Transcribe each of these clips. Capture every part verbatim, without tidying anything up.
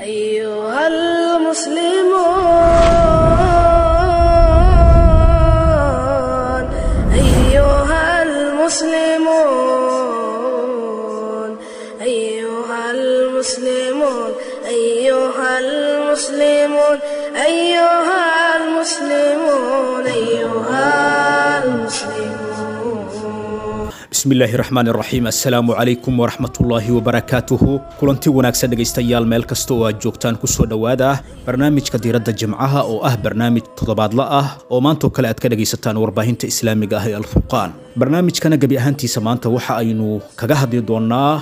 أيها المسلمون أيها المسلمون أيها المسلمون أيها المسلمون أيها المسلمون أيها المسلمون. Bismi illaahi raxmaan raxiim, assalaamu calaykum waraxmatullaahi wabarakaatuhu. Kulanti wanaagsan dhegaystayaal, meel kasta oo aad joogtaan, kusoo dhowaada barnaamijka diiradda jimcaha oo ah barnaamij toddobaadla ah oo maantoo kale aad ka dhegaysataan warbaahinta islaamiga ah ee Alfurqaan. Barnaamijkana gebi ahaantiisa maanta waxa aynu kaga hadli doonaa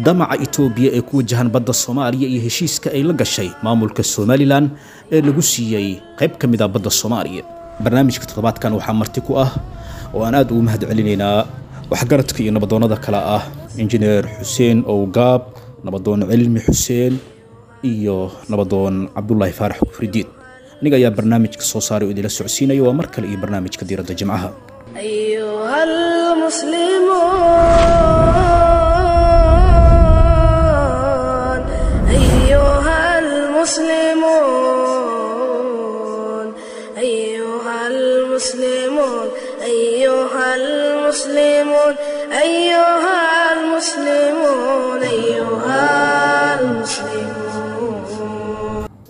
damaca Itoobiya ee ku wajahan badda Soomaaliya iyo heshiiska ay la gashay maamulka Somalilan ee lagu siiyey qayb ka mid ah badda Soomaaliya. Barnaamijka toddobaadkan waxaa marti ku ah oo aan aad ugu mahad celinaynaa waxgaradka iyo nabadoonnada kale ah Injineer Xuseen Owgaab, Nabadoon Cilmi Xuseen iyo Nabadoon Cabdulaahi Faarax Kufridiid. Aniga ayaa barnaamijka soo saaray oo idinla socodsiinaya. Waa mar kale iyo barnaamijka diiradda jimcaha. أيها المسلمون أيها المسلمون أيها المسلمون أيها المسلمون أيها المسلمون أيها المسلمون.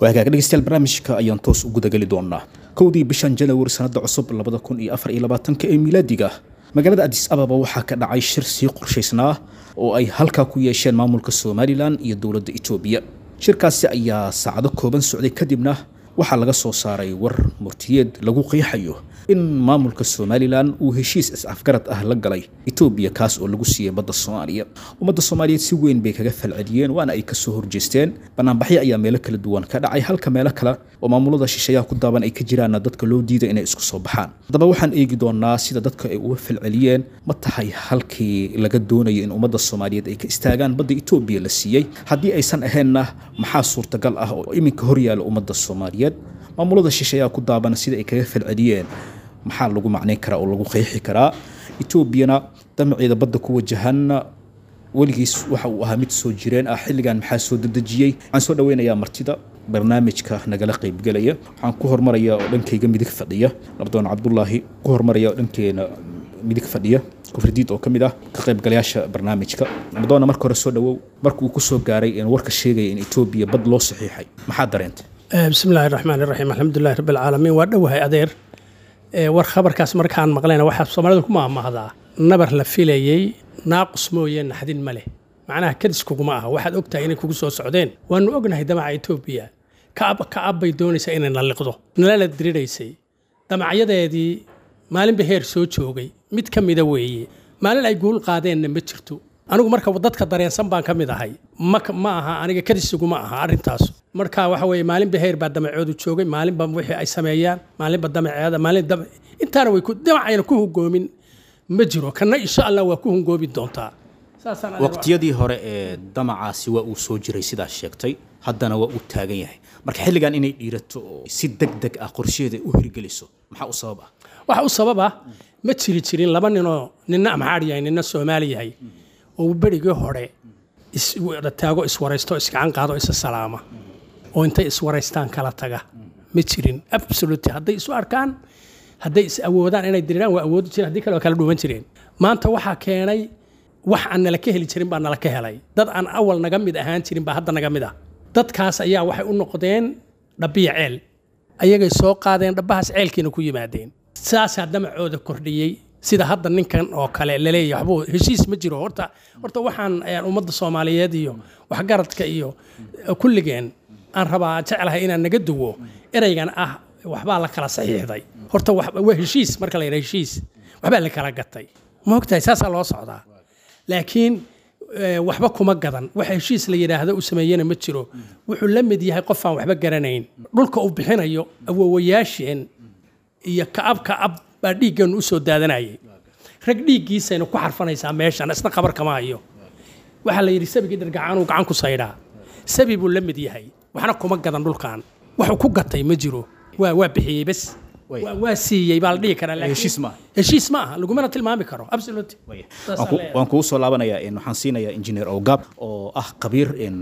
Waa hagaag dhegeystayaal, barnaamijka ayaan toos u gudageli doonaa. Kowdii bishan Janawari sanadda cusub labada kun iyo afar iyo labaatanka ee milaadiga, magaalada Addis Ababa waxaa ka dhacay shir sii qorshaysnaa oo ay halkaa ku yeesheen maamulka Somalilan iyo dowladda Itoobiya. Shirkaasi ayaa saacado kooban socday, kadibna waxaa laga soo saaray war murtiyeed lagu qeexayo in maamulka Somalilan uu heshiis is-afgarad ah la galay Itoobiya, kaas oo lagu siiyey badda Soomaaliya. Ummadda Soomaaliyeed si weyn bay kaga falceliyeen, waana ay kasoo horjeesteen. Banaanbaxyo ayaa meelo kala duwan ka dhacay, halka meelo kale oo maamulada shisheeyaha ku daaban ay ka jiraanna dadka loo diiday inay isku soo baxaan. Haddaba waxaan eegi doonaa sida dadka ay uga falceliyeen. Ma tahay halkii laga doonayo in ummadda Soomaaliyeed ay ka istaagaan badda Itoobiya la siiyey? Haddii aysan ahaynna, maxaa suurtagal ah oo iminka horyaala ummadda Soomaaliyeed? Maamulada shisheeyaha ku daaban sida ay kaga falceliyeen maxaa lagu macnayn karaa oo lagu qeexi karaa? Etoobiyana damaceeda badda ku wajahan weligiis waxa uu ahaa mid soo jireen ah, xilligan maxaa soo dedejiyey? Waxaan soo dhaweynayaa martida barnaamijka nagala qaybgelaya. Waxaan ku hormarayaa oo dhankayga midig fadhiya Nabadoon Cabdulaahi, ku hormaraya oo dhankeena midig fadhiya Kufridiid oo ka mid ah ka qaybgalayaasha barnaamijka. Nabadoonna, marka hore soo dhawow. Markuu ku soo gaaray in warka sheegaya in Etoobiya bad loo saxiixay, maxaa dareentay? Bismi illaahi raxmaan iraxiim, alxamdulilahi rabbi alcaalamiin. Waa dhowahay adeer. Ee, war khabarkaas markaan maqlayna, waxaa Soomaalida ku maahmaahdaa nabar la filayey naaqus mooye naxdin ma leh. Macnaha kadis kuguma aha, waxaad ogtahay inay kugu soo socdeen. Waanu ognahay damaca Etoobiya, ka'ab ka'ab bay doonaysaa inay nalliqdo, nalala diriraysay. Damacyadeedii maalinba heer soo joogay mid ka mida weeye, maalin ay guul qaadeenna ma jirto. Anigu marka dadka dareensan baan ka mid ahay, ma ma aha aniga kadis iguma aha arrintaas. Marka waxa weeye, maalinba heer baa damacoodu joogay, maalinba wixii ay sameeyaan, maalinba damaceeda, maalin dam intaana way ku damacayna ku hungoomin ma jiro. Kana insha Allah waa ku hungoobi doontaa. Saasaan adeer. Waqtiyadii hore ee damacaasi waa uu soo jiray sidaas sheegtay, haddana waa uu taagan yahay. Marka xilligan inay dhiirato oo si deg deg ah qorsheeda u hirgeliso maxaa u sabab ah? Waxa u sabab ah, ma jiri jirin laba ninoo ninna Amxaar yahay ninna Soomaali yahay oo berigii hore is wada taago, iswaraysto, isgacan qaado, isa salaama oo intay iswaraystaan kala taga ma jirin. Absolutely, hadday isu arkaan, hadday is awoodaan inay diriraan waa awoodi jireen, haddii kale waa kala dhuuman jireen. Maanta waxaa keenay wax aan nala ka heli jirin baa nala ka helay. Dad aan awal naga mid ahaan jirin baa hadda naga mid ah. Dadkaas ayaa waxay u noqdeen dhabiya ceel, ayagay soo qaadeen dhabbahaas, ceelkiina ku yimaadeen. Saasaa damacooda kordhiyey. Sida hadda ninkan oo kale laleeyahay waxbuu heshiis ma jiro. Horta horta waxaan ayaan ummadda Soomaaliyeed iyo waxgaradka iyo kulligeen aan rabaa jeclahay inaan naga duwo ereygan ah waxbaa la kala saxiixday. Horta waa heshiis, marka la yidhaha heshiis waxbaa la kala gatay, ma ogtahay? Saasaa loo socdaa, laakiin waxba kuma gadan. Wax heshiis la yidhaahdo uu sameeyena ma jiro. Wuxuu la mid yahay qof aan waxba garanayn. Dhulka uu bixinayo awoowayaasheen iyo ka'ab ka'ab baa dhiiggeenu usoo daadanayay, rag dhiiggiisayna ku xarfanaysaa meeshan, isna khabar kama hayo. Waxaa la yidhi sabigii dhargacaanuu gacan ku saydhaa, sabi buu la mid yahay. Waxna kuma gadan dhulkan, waxuu ku gatay ma jiro. Waa waa bixiyey bes, waa siiyey baa la dhihi karaa. Laakiin heshiis ma aha. Heshiis ma aha, lagumana tilmaami karo, absolutely. Waan kugu soo laabanayaa. Waxaan siinayaa Engineer Ogab oo ah khabiir in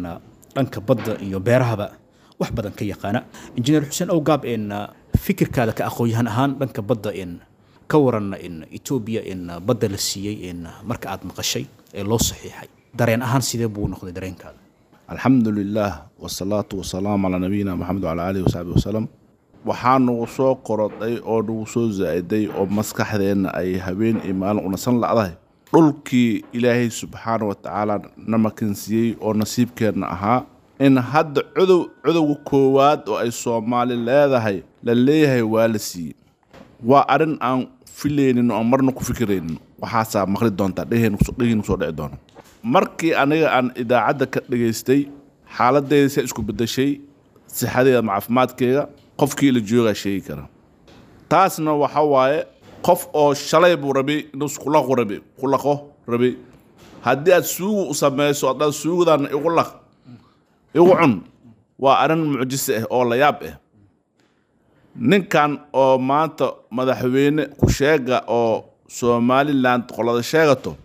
Dhanka badda iyo beerahaba wax badan ka yaqaana. Injineer Xuseen Awgaab, in fikirkaada ka aqoon-yahan ahaan dhanka badda in ka waran in Etoobiya in badda la siiyey, in marka aad maqashay ee loo saxiixay, dareen ahaan sidee buu noqday dareenkaada? Alxamdu lilah wasalaatu wasalaamu calaa nabiyina Maxamed wacala aalihi wasaxbi wasalam. Waxaa nagu soo korodhay oo nagu soo zaa'iday oo maskaxdeenna ay habeen iyo maalin unasan la'dahay dhulkii Ilaahay subxaana wa tacaala na makansiiyey oo nasiibkeenna ahaa, in hadda codow codowga koowaad oo ay Soomaali leedahay la leeyahay waa la siiyey. Waa arrin aan filaynin oo aan marna ku fikiraynin. Waxaasaa maqli doontaa, dhegeen kusoo dhici doona. Markii aniga aan idaacadda ka dhegaystay, xaaladeyda se isku beddeshay, sixadeeda ama caafimaadkeyga qofkii la joogaa sheegi kara. Taasna waxa waaye qof oo shalay buu rabay inuu iskulaqu rabay, kulaqo rabay. Haddii aad suugu u samayso, haddaad suugudan igu laq, igu cun, waa arrin mucjise ah oo la yaab ah. Ninkan oo maanta madaxweyne ku sheega oo Somaliland qolada sheegato,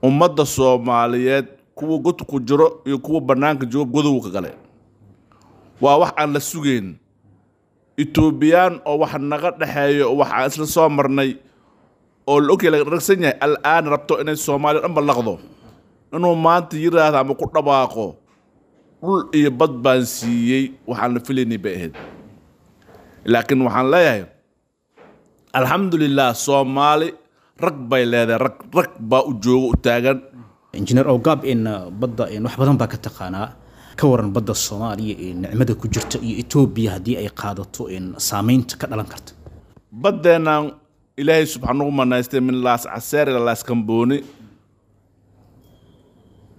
ummadda Soomaaliyeed kuwa god ku jiro iyo kuwa bannaanka jooga godowga ka galay. Waa wax aan la sugayn. Etoobiyaan oo wax naga dhexeeyo oo wax aan isla soo marnay oo la ogyahay, laga dharagsan yahay, al'aan rabto inay Soomaaliya dhanba laqdo, inuu maanta yiraahdo ama ku dhawaaqo dhul iyo bad baan siiyey, waxaan la filaynay bay ahayd. Laakiin waxaan leeyahay alxamdulilah, Soomaali rag bay leedahay, rag rag baa u jooga, u taagan. Injineer Awgaab, in badda in wax badan baa ka taqaanaa. Ka waran badda Soomaaliya ee nicmada ku jirta iyo Etoobiya haddii ay qaadato in saameynta ka dhalan karta? Baddeennan Ilaahay subxaan ugu manaystay min Laas Caseer ilaa Laas Kambooni,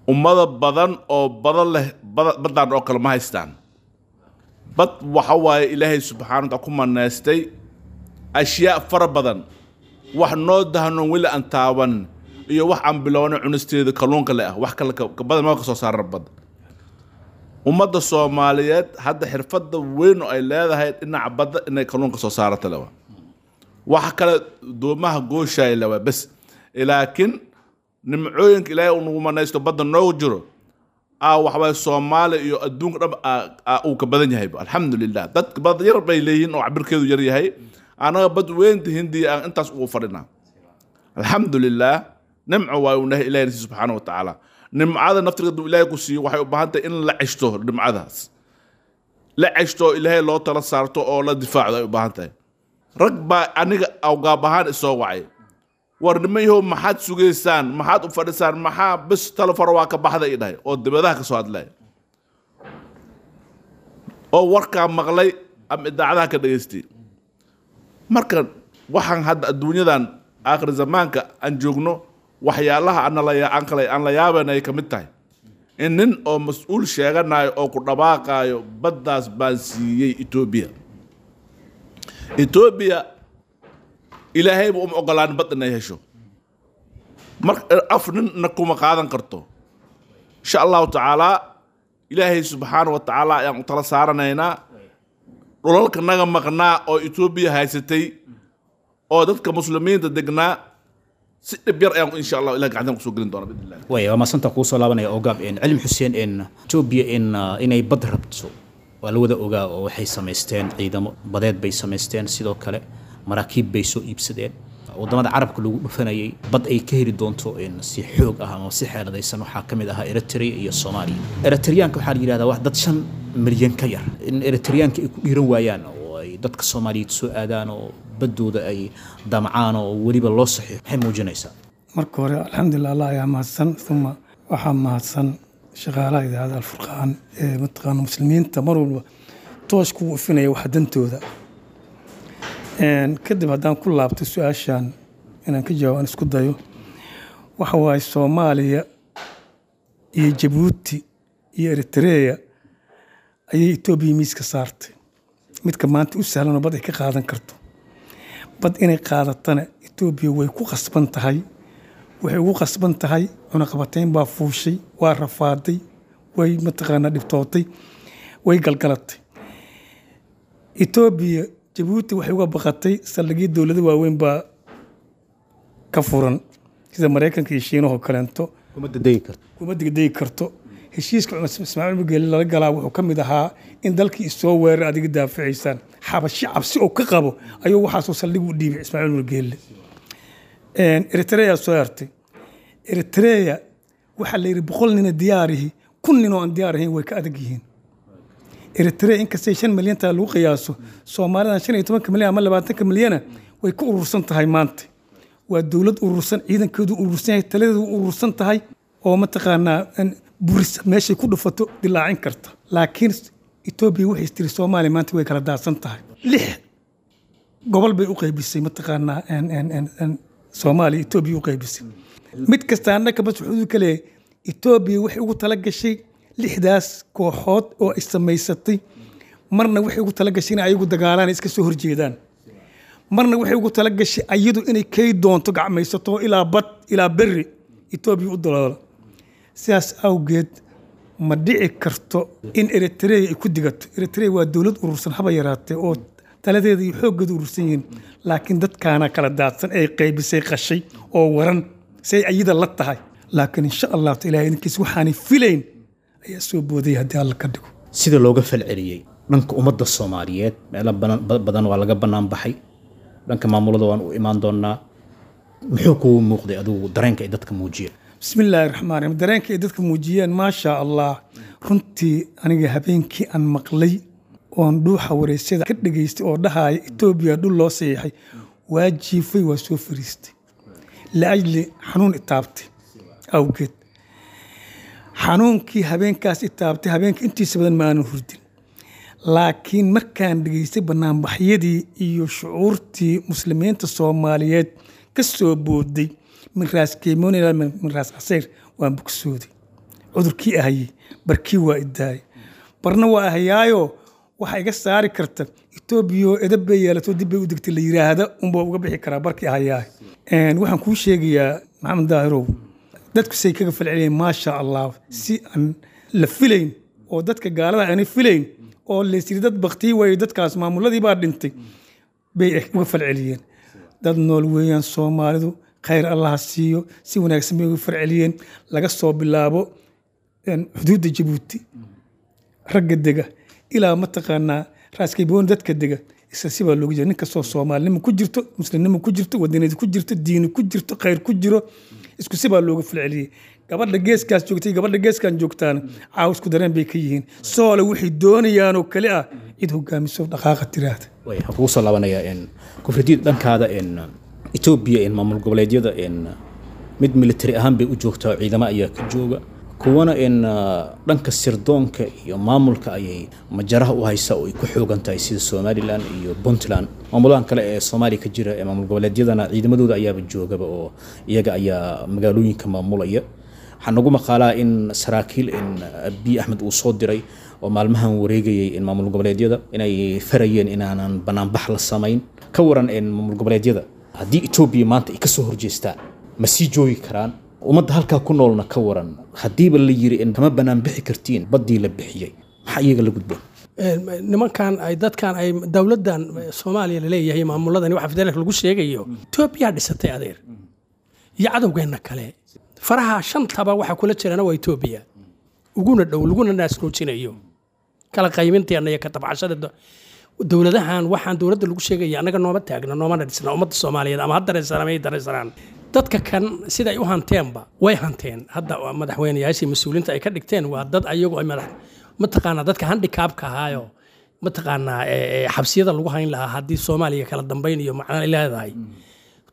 ummada badan oo badan leh baddaan oo kale ma haystaan. Bad waxa waaye Ilaahay subxaana wataala ku manaystay ashyaa fara badan, wax noo dahnoon weli aan taaban iyo wax aan bilowna cunisteeda kalluunka le ah, wax kale ka badan ma ka soo saaran badda. Ummadda Soomaaliyeed hadda xirfadda weyn oo ay leedahay dhinaca badda inay kalluunka soo saarata lewa, wax kale doomaha gooshaay lewa bes. Laakiin nimcooyinka Ilaahay uu nagu manaysto badda noogu jiro aa waxawaaye Soomaaliya iyo adduunka dhan aa uu ka badan yahay. Alxamdulilah, dadka bad yar bay leeyihiin oo cabirkeedu yar yahay, anaga bad weynta Hindiya aan intaas ugu fadhinaa. Alxamdulilah, nimco waayo uu nahay Ilahay nasi subxaana wa tacaala. Nimcada naftirkeedu Ilaahay ku siiyo waxay u baahan tahay in la ceshto, nimcadaas la ceshto, Ilaahay loo tala saarto oo la difaacdo ay u baahan tahay. Rag baa aniga Awgaab ahaan isoo wacay: war nimayahow, maxaad sugaysaan? Maxaad u fadhisaan? Maxaa bis telefon waa ka baxda i dhahay oo dibadaha ka soo hadlaya oo warkaa maqlay ama idaacadaha ka dhegaystay. Marka waxaan hadda adduunyadan aakhir zamaanka aan joogno, waxyaalaha aan kale aan la yaaban ay ka mid tahay in nin oo mas-uul sheeganayo oo ku dhawaaqaayo baddaas baan siiyey Etoobiya. Etoobiya Ilaahayba uma ogolaan bad inay hesho, mar af ninna kuma qaadan karto. Insha Allahu tacaalaa, Ilaahay subxaana wa tacaala ayaan u tala saaranaynaa. Dhulalka naga maqnaa oo Etoobiya haysatay oo dadka muslimiinta degnaa si dhib yar ayaan insha Allah Ilah gacantan kusoo gelin doona biidnillah. Way waa maasanta kuu soo laabanaya Ogaab. In Cilmi Xuseen, in Etoobiya in inay bad rabto waa la wada ogaa, oo waxay samaysteen ciidamo badeed bay samaysteen, sidoo kale maraakiib bay soo iibsadeen. Wadamada carabka lagu dhufanayay bad ay ka heli doonto in si xoog ah ama si xeeladaysan waxaa ka mid ahaa Eritrea iyo Soomaaliya. Eritreyaanka waxaa la yidhahdaa wax dad shan milyan ka yar, in Eritreyaanka ay ku dhiiran waayaan oo ay dadka Soomaaliyeed soo aadaan oo baddooda ay damcaan oo weliba loo saxiixo, maxay muujinaysaa? Marka hore alxamdulilah, Allah ayaa mahadsan, uma waxaa mahadsan shaqaalaha idaacadda Alfurqaan ee mataqaana muslimiinta mar walba toosh kugu ifinaya waxa dantooda. Kadib haddaan ku laabto su-aashan inaan ka jawaabo aan isku dayo, waxa waaye Soomaaliya iyo Jabuuti iyo Eritrea ayay Etoobiya miiska saartay midka maanta u sahlan oo bad ay ka qaadan karto. Bad inay qaadatana Etoobiya way ku qasban tahay. Waxay ugu qasban tahay cunaqabateyn baa fuushay, waa rafaaday, way mataqaanaa dhibtootay, way galgalatay Etoobiya. Jabuuti waxay uga baqatay saldhigyo dowlado waaweyn baa ka furan sida Maraykanka iyo Shiinahoo kaleento. Kuma dadegi karto. Kuma degdegi karto. Heshiiska Ismaaciil Cumar Geelle lala galaa wuxuu ka mid ahaa in dalkii isoo weerar adiga daafacaysaan. Xabashi cabsi oo ka qabo ayuu waxaasoo saldhig u dhiibay Ismaaciil Cumar Geelle. Eritrea soo hartay. Eritrea waxaa la yidhi boqol nina diyaarihi, kun nin oo aan diyaar ahayn way ka adag yihiin. Eritrea inkastay shan milyan taa lagu qiyaaso, Soomaalidan shan iyo tobanka milyan ama labaatanka milyana way ka urursan tahay maanta. Waa dowlad urursan, ciidankeedu urursan yahay, taladeedu urursan tahay, oo mataqaanaa buris meeshay ku dhufato dilaacin karta. Laakiin Etoobiya waxay tiri Soomaaliya maanta way kala daadsan tahay. Lix gobol bay u qaybisay, mataqaanaa Soomaaliya Etoobiya u qaybisay. Mid kasta annaka bas wuxuu ka leeyahay Etoobiya waxay ugu tala gashay lixdaas kooxood oo ay samaysatay. Marna waxay ugu tala gashay inay ayagu dagaalaan, iska soo horjeedaan. Marna waxay ugu tala gashay ayadu inay kay doonto gacmaysato ilaa bad ilaa berri Etoobiya u daloola. Sidaas awgeed ma dhici karto in Eritrea ay ku digato. Eritrea waa dowlad urursan haba yaraatee oo taladeeda iyo xooggeeda urursan yihiin, laakiin dadkaana kala daadsan ay qaybisay qashay oo waran say ayada la tahay. Laakiin insha Allah Ilaahay idinkiis waxaanay filayn ayaa soo booday haddii Alla ka dhigo. Sida looga falceliyey dhanka ummadda Soomaaliyeed, meelo badan waa laga bannaan baxay. Dhanka maamulada waan u imaan doonaa. Muxuu kugu muuqday adigu dareenka ay dadka muujiyeen? Bismillaahi raxmaan raxiim. Dareenka ay dadka muujiyeen, maasha Allah, runtii aniga habeenkii aan maqlay oon dhuuxa wareysyada ka dhageystay oo dhahaya Etoobiya dhul loo saxiixay, waa jiifay, waa soo fariistay liajli xanuun itaabtay awgeed. Xanuunkii habeenkaas itaabtay, habeenka intiisa badan ma aanan hurdin. Laakiin markaan dhageystay banaanbaxyadii iyo shucuurtii muslimiinta Soomaaliyeed ka soo booday min Raas Keemoon ilaa min Raas Casayr, waan bogsooday. Cudurkii ahayey barkii waa idaayay, barna waa ahayaayo waxaa iga saari karta Etoobiya oo edab bay yeelato dib bay u degtay la yiraahda unbaa uga bixi karaa barkii ahayaay. Waxaan kuu sheegayaa Maxamed Daahirow, dadku say kaga falceliyeen maasha Allah, si aan la filayn oo dadka gaalada aanay filayn oo laysiri dad baktiyi waayo dadkaas maamuladii baa dhintay bay uga falceliyeen. Dad nool weeyaan Soomaalidu, khayr Allah siiyo, si wanaagsan bay uga falceliyeen. Laga soo bilaabo xuduudda Jabuuti ragga dega ilaa mataqaanaa Raaskayboon dadka dega, isla si baa loogu jira. Nin kastoo Soomaalinimo ku jirto, muslimnimo ku jirto, wadaniyad ku jirto, diini ku jirto, khayr ku jiro, isku si baa looga falceliyey. Gabadha geeskaas joogtay, gabadha geeskan joogtaana caaw isku dareen bay ka yihiin. Soole waxay doonayaan oo kale ah cid hogaamiso dhaqaaqa tiraahda. Waxaan kugu soo laabanayaa in Kufridiid dhankaada in Etoobiya in maamul goboleedyada in mid military ahaan bay u joogtaa, ciidamo ayaa ka jooga, kuwana in dhanka sirdoonka iyo maamulka ayay majaraha u haysaa oo ay ku xoogan tahay, sida Somaliland iyo Puntland. Maamulahan kale ee Soomaaliya ka jira ee maamul goboleedyadana ciidamadooda ayaaba joogaba oo iyaga ayaa magaalooyinka maamulaya. Waxaa nagu maqaalaa in saraakiil in Abiy Axmed uu soo diray oo maalmahan wareegayay in maamul goboleedyada inay farayeen inaanan banaanbax la samayn. Ka waran in maamul goboleedyada haddii Etoobiya maanta ay kasoo horjeestaan ma sii joogi karaan? Ummadda halkaa ku noolna ka waran haddiiba la yiri in kama banaan bixi kartiin baddii la bixiyey, maxaa iyaga la gudboon? Nimankan ay dadkan ay dowladdan Soomaaliya laleeyahay, maamuladani waxa federaalka lagu sheegayo Etoobiya dhisatay adeer iyo cadowgeenna kale faraha shantaba waxa kula jirana waa Etoobiya, uguna dhow laguna naasnuujinayo kala qaybinteena iyo ka tabcashada dowladahan. Waxaan dowladda lagu sheegaya annaga nooma taagna, noomana dhisna. Ummadda Soomaaliyeed ama ha dareensanaan ama ay dareensanaan, dadka kan sida ay u hanteenba way hanteen. Hadda madaxweynayaashii mas-uuliyiinta ay ka dhigteen waa dad ayagu ay madax mataqaanaa dadka handikaabka ahaayo mataqaanaa xabsiyada lagu hayn lahaa haddii Soomaaliya kala dambayn iyo macna ay leedahay.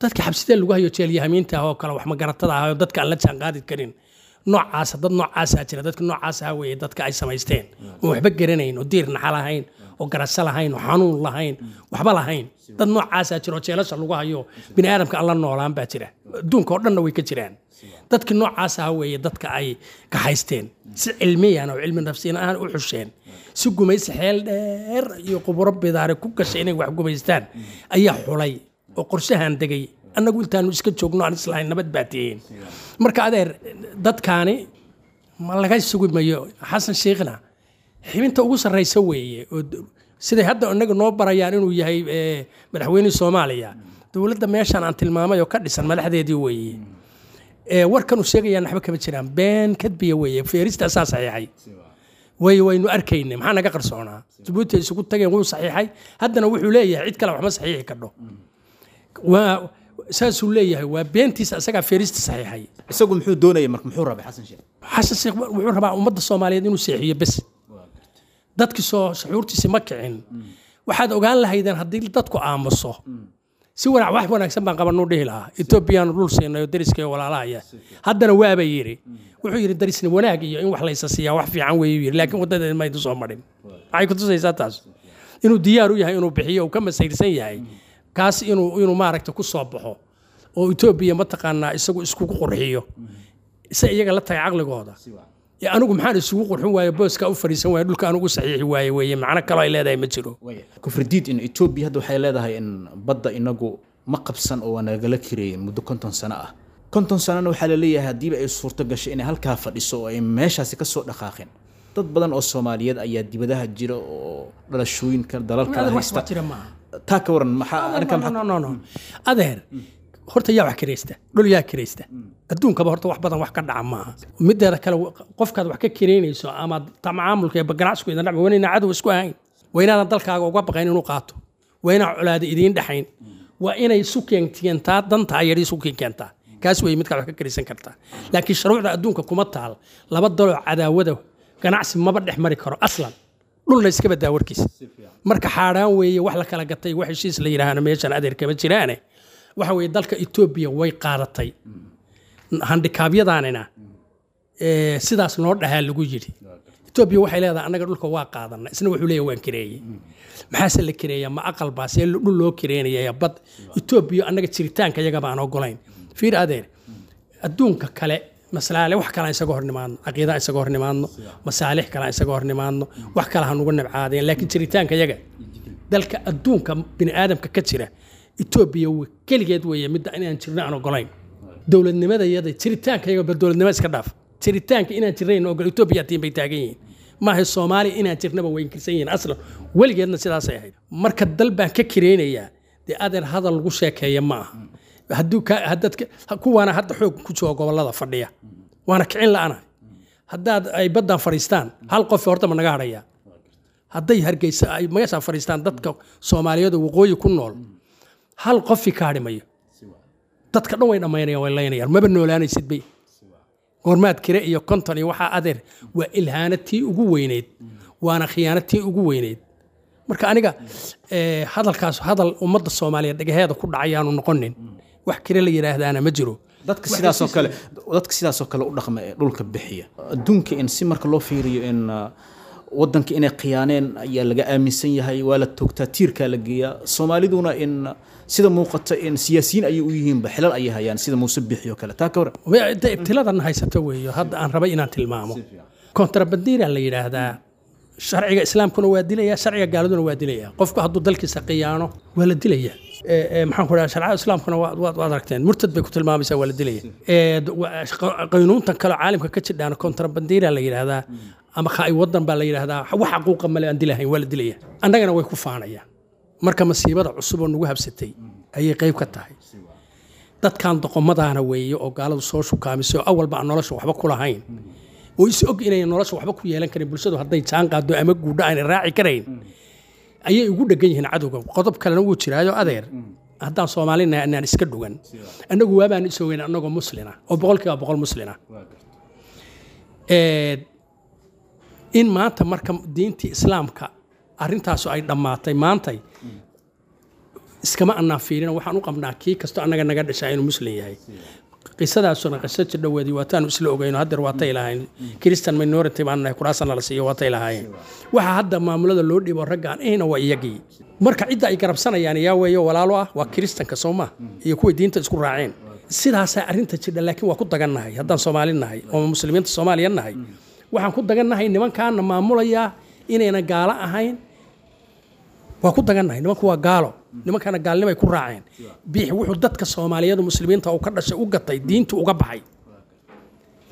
Dadka xabsiyada lagu hayo jeelyahamiinta ah oo kale, wax magaratada ah oo dadka aan la jaanqaadi karin noocaasa, dad noocaasaa jira. Dadka noocaasa weeye dadka ay samaysteen oo waxba garanayn oo diir naxa lahayn oo garasho lahayn oo xanuun lahayn, waxba lahayn. Dad noocaasaa jira oo jeelasha lagu hayo, bini aadamka aan la noolaan baa jira, adduunka oo dhanna way ka jiraan. Dadka noocaas ah weeye dadka ay kaxaysteen si cilmiyan oo cilmi nafsiyan ahaan u xusheen, si gumaysi xeel dheer iyo quburo bidaare ku gashay inay wax gumaystaan ayaa xulay oo qorshahan degay. Annagu intaanu iska joogno aan islahayn nabad baa tihiin. Marka adeer dadkaani ma laga sugi mayo. Xasan Sheekhna xibinta ugu sarreysa weeye oo siday hadda inaga noo barayaan inuu yahay madaxweynihii Soomaaliya. Dowladda meeshan aan tilmaamay oo ka dhisan madaxdeedii weeye. Ee warkan uu sheegayaan waxba kama jiraan, been kadbiya weeye. Feerista asaa saxiixay way waynu arkaynay, maxaa naga qarsoonaa? Jabuuti ay isugu tageen, wuu saxiixay. Haddana wuxuu leeyahay cid kale waxma saxiixi kadho, waa saasuu leeyahay, waa beentiisa, isagaa feerista saxiixay. Isagu muxuu doonayay marka? Muxuu rabay Xasan Sheekh? Xasan Sheekh wuxuu rabaa ummadda Soomaaliyeed inuu seexiyo bes. Dadkii soo shucuurtiisi ma kicin. Waxaad ogaan lahaydeen haddii dadku aamuso si wanac wax wanaagsan baan qabanuu dhihi lahaa, Etoobiyaanu dhul siinay oo deriska iyo walaalahaya. Haddana waaba yidhi, wuxuu yidhi darisni wanaag iyo in wax laysa siiyaa wax fiican weeyuu yidhi, laakiin waddadeed ma idin soo marin. Maxay ku tusaysaa taas? Inuu diyaar u yahay inuu bixiyo, uu ka masayrsan yahay kaas, inuu inuu maaragta ku soo baxo oo Etoobiya mataqaanaa isagu iskugu qurxiyo, se iyaga la tagay caqligooda. Ee anigu maxaan isugu qurxin waaye, booska u fadhiisan waaye, dhulka anigu saxiixi waaye weeye. Macno kaloo ay leedahay ma jiro. Kufridiid in Etoobiya hadda waxay leedahay in badda inagu ma qabsan oo waa nagala kireeyey muddo konton sano ah. Konton sanona waxaa la leeyahay haddiiba ay suurto gashay inay halkaa fadhiso oo ay meeshaasi ka soo dhaqaaqeen, dad badan oo Soomaaliyeed ayaa dibadaha jira oo dhalashooyinka dalal kale wax haysta. Jira maaha. Taa ka waran, maxaa arrinka? No, maxaa no, no, no. Adeer, horta yaa wax kiraysta? Dhul yaa kiraysta adduunkaba? Horta wax badan wax ka dhaca maaha. Mideeda kale, qofkaad wax ka kiraynayso ama tamacaamulka iyo ganacsigu idin dhacba, waa inayna cadow isku ahayn, waa inaadan dalkaaga uga baqayn inuu qaato, waa inaan colaada idiin dhexayn, waa inay isu keentaa dantaa yar isu keentaa. Kaas wey midkaad wax ka kiraysan kartaa. Laakiin shuruucda adduunka kuma taal laba daloo cadaawada ganacsi maba dhex mari karo aslan, dhulna iska badaa warkiisa. Marka xaaraan weeye wax la kala gatay, wax heshiis la yidhaahana meeshan adeer kama jiraane. Waxa weeye dalka Etoobiya way qaadatay handikaabyadaanina, ee, sidaas noo dhahaa lagu yidhi. Etoobiya waxay leedahay annaga dhulka waa qaadana, isna wuxuu leeyahay waan kireeyey. Maxaase la kireeyaa? Ma aqal baa see dhul loo kireenaya? Bad Etoobiya annaga jiritaanka iyaga baan ogolayn. Fiir adeer, adduunka kale maslaale wax kale aan isaga hor nimaadno, caqiida aan isaga hor nimaadno, masaalix kale aan isaga hor nimaadno, wax kale ha nugu nabcaadeen, laakiin jiritaanka iyaga dalka adduunka bini aadamka ka jira Etoobiya w- keligeed weeye midda inaan jirno aan ogolayn. Dowladnimada iyada jiritaanka iyaga ba dowladnimo iska dhaaf, jiritaanka inaan jirnayn ogol Etoobiya tiin bay taagan yihiin. Maaha Soomaaliya inaan jirnaba way inkirsan yihiin aslan, weligeedna sidaasay ahayd. Marka dal baan ka kireynayaa, dee adeer hadal lagu sheekeeya ma aha. Hadduu ka haddaad ka- kuwaana hadda xoog ku jooga gobollada fadhiya waana kicin la'anahay. Haddaad ay baddan fadhiistaan, hal qof horta ma naga hadhayaa? Hadday Hargeysa ay meeshaa fadhiistaan, dadka Soomaaliyeed oo waqooyi ku nool hal qofi ka hadhi mayo. Dadka dhan way dhammaynayaan, way laynayaan, maba noolaanaysid bay. Goormaad kire iyo konton iyo waxaa? Adeer, waa ilhaano tii ugu weyneyd, waana khiyaano tii ugu weyneyd. Marka aniga eh, hadalkaas hadal ummadda Soomaaliyeed dhagaheeda ku dhacayaanu noqonin. Wax kire la yidhaahdaana ma jiro. Dadka sidaasoo kale dadka sidaasoo kale u dhaqma ee dhulka bixiya adduunka in si marka loo fiiriyo in uh, wadanka inay khiyaaneen ayaa laga aaminsan yahay, waa la toogtaa, tiirkaa la geeyaa. Soomaaliduna in uh, sida muuqata in siyaasiyiin ayay u yihiinba, xilal ayay hayaan, sida Muuse Bixi oo kale. Taa ka waran? Wa- de ibtiladan haysato weeyo hadda aan rabay inaan tilmaamo. Kontrabandiira la yidhaahdaa, sharciga islaamkuna waa dilaya, sharciga gaaladuna waa dilaya. Qofku hadduu dalkiisa khiyaano waa la dilaya. Ee, ee, maxaan ku dhaha, sharcada islaamkuna waa- waad waad aragteen, murtad bay ku tilmaamaysaa, waa la dilaya. Ee, d- wa- qa- qaynuuntan kale oo caalamka ka jidhaana kontrabandiira la yidhaahdaa ama khaai wadan baa la yidhaahdaa, wax xaquuqa male, aan dilahayn, waa la dilaya. Annagana way ku faanayaan. Marka masiibada cusub oo nagu habsatay ayay qayb ka tahay. Dadkan doqomadaana weeye oo gaaladu soo shukaamisay oo awalba aan nolosha waxba ku lahayn oo is og inay nolosha waxba ku yeelan karin, bulshadu hadday jaan qaado ama guudha aanay raaci karayn ayay ugu dhegan yihiin cadowga. Qodob kalena wuu jiraayo adeer, haddaan Soomaalinahay anaan iska dhugan. Annagu waabaan is ogeyn annagoo muslina oo boqolkiiba boqol muslina. Ee, in maanta marka diintii islaamka arrintaasu ay dhammaatay maantay, iskama annaan fiirin. Waxaan u qabnaa kii kasto annaga naga dhashaa inuu muslim yahay. Qisadaasuna qiso jidhoweedii waataanu isla ogeyno. Haddeer waatay lahayn Christian minority baan nahay, kuraasana la siiyo waatay lahaayeen. Waxa hadda maamulada loo dhiibo raggaan ihna waa iyagii. Marka cidda ay garabsanayaan yaa weeyo walaalo ah? Waa kiristanka soo ma iyo kuway diinta isku raaceen. Sidaasaa arrinta jidha. Laakiin waa ku dagannahay haddaan Soomaali nahay oo muslimiinta Soomaaliya nahay. Waxaan ku dagannahay nimankaana maamulayaa inayna gaalo ahayn. Waa ku dagannahay. Nimanku waa gaalo, nimankana gaalnimay ku raaceen. Biix wuxuu dadka Soomaaliyeed muslimiinta uu ka dhashay u gatay diintu uga baxay,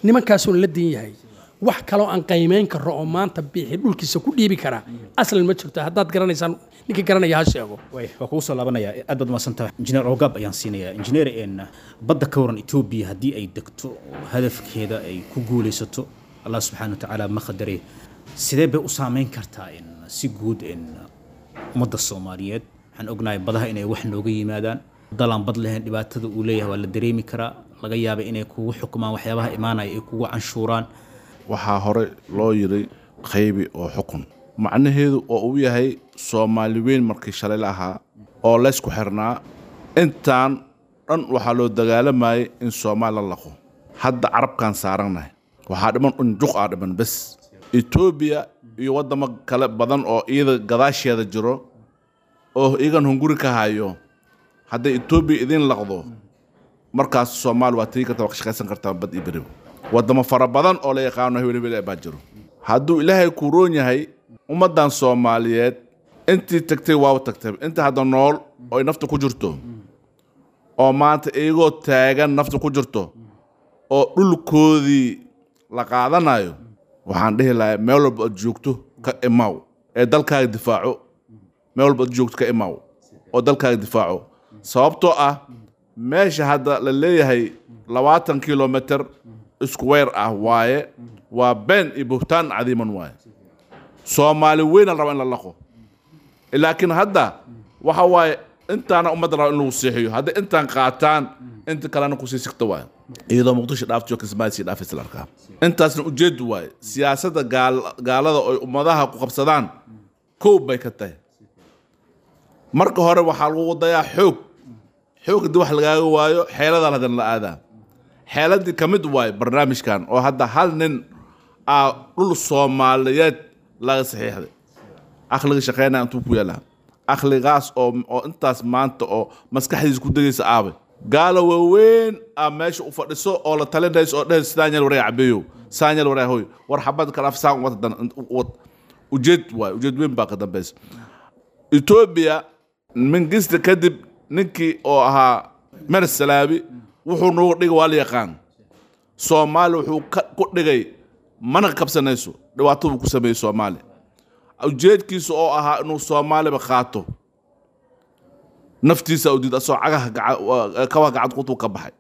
nimankaasuuna la diin yahay. Wax kaloo aan qiimeyn karo oo maanta Biixi dhulkiisa ku dhiibi karaa aslan ma jirto. Haddaad garanaysaan, ninka garanaya ha sheego. Way waa kugu soo laabanaya. Aad baad mahadsantahay, injineer Ogaab ayaan siinayaa. Injineer, een badda ka waran, Etoobiya haddii ay degto oo hadafkeeda ay ku guulaysato, Allah subxaana wa tacaala ma qadare, sidee bay u saameyn kartaa in si guud in ummadda Soomaaliyeed? Waxaan ognahay badaha inay wax nooga yimaadaan. Dalaan bad lahayn dhibaatada uu leeyahay waa la dareemi karaa. Laga yaaba inay kugu xukumaan waxyaabaha imaanaya, ay kugu canshuuraan. Waxaa hore loo yiri qaybi oo xukun, macnaheedu oo uu yahay Soomaali weyn markii shalay la ahaa oo laysku xirnaa, intaan dhan waxaa loo dagaalamayay in Soomaali la laqo. Hadda carabkaan saarannahay, waxaa dhiman unjuq aa dhiman bes. Etoobiya iyo waddamo kale badan oo iyada gadaasheeda jiro oo iyagan hunguri ka hayo, hadday Etoobiya idin laqdo, markaas Soomaali waa tegi kartaa, waa ka shaqaysan kartaa bad iyo beriba. Waddamo fara badan oo la yaqaano hebel hebel baa jiro. Hadduu Ilaahay ku roon yahay, ummaddan Soomaaliyeed intii tagtay waaba tagtay. Inta hadda nool oo ay nafta ku jirto, oo maanta iyagoo taagan nafta ku jirto oo dhulkoodii la qaadanayo, waxaan dhihi lahaa meel walba aad joogto ka imaaw ee dalkaaga difaaco. Meel walba aad joogto ka imaaw oo dalkaaga difaaco, sababtoo ah meesha hadda la leeyahay labaatan kilomitr square ah waaye, waa been iyo buhtaan cadiiman waaye. Soomaali weyna la raba in la laqo, laakiin hadda waxa waaye intaana ummadda raba in lagu seexiyo. Hadday intaan qaataan, inta kalena kusii sigta waaye, iyadoo Muqdisho dhaaftiyo Kismaayo sii dhaafaysa la arkaa. Intaasna ujeedu waaye siyaasadda gaal- gaalada oy ummadaha ku qabsadaan kow bay ka tahay. Marka hore waxaa lagu dayaa xoog. Xoog haddii wax lagaaga waayo, xeeladaa haddana la aadaa. Xeeladii ka mid waaye barnaamijkan oo hadda hal nin aa dhul Soomaaliyeed laga saxiixday. Aqliga shaqeynaya intuu ku yaalaa? Aqligaas oo oo intaas maanta oo maskaxdiisa ku degaysa aabay? Gaalo waaweyn aa meesha u fadhiso oo la talinayso oo dhehayso, sidaan yeel waraya cabeeyow, saan yeel waraya hoy, war xabad kala af saan wad dan wad. Ujeed waay, ujeed weyn baa ka dambaysa. Etoobiya Mingista kadib ninkii oo ahaa Meles Salaabi wuxuu nooga dhigay waa la yaqaan. Soomaali wuxuu ka- ku dhigay mana qabsanayso. Dhibaato buu ku sameeyey Soomaali. Ujeedkiisa oo ahaa inuu Soomaaliba qaato, naftiisa u diid, asoo cagaha gaca- waa- kabaha gacanta qutuu ka baxay.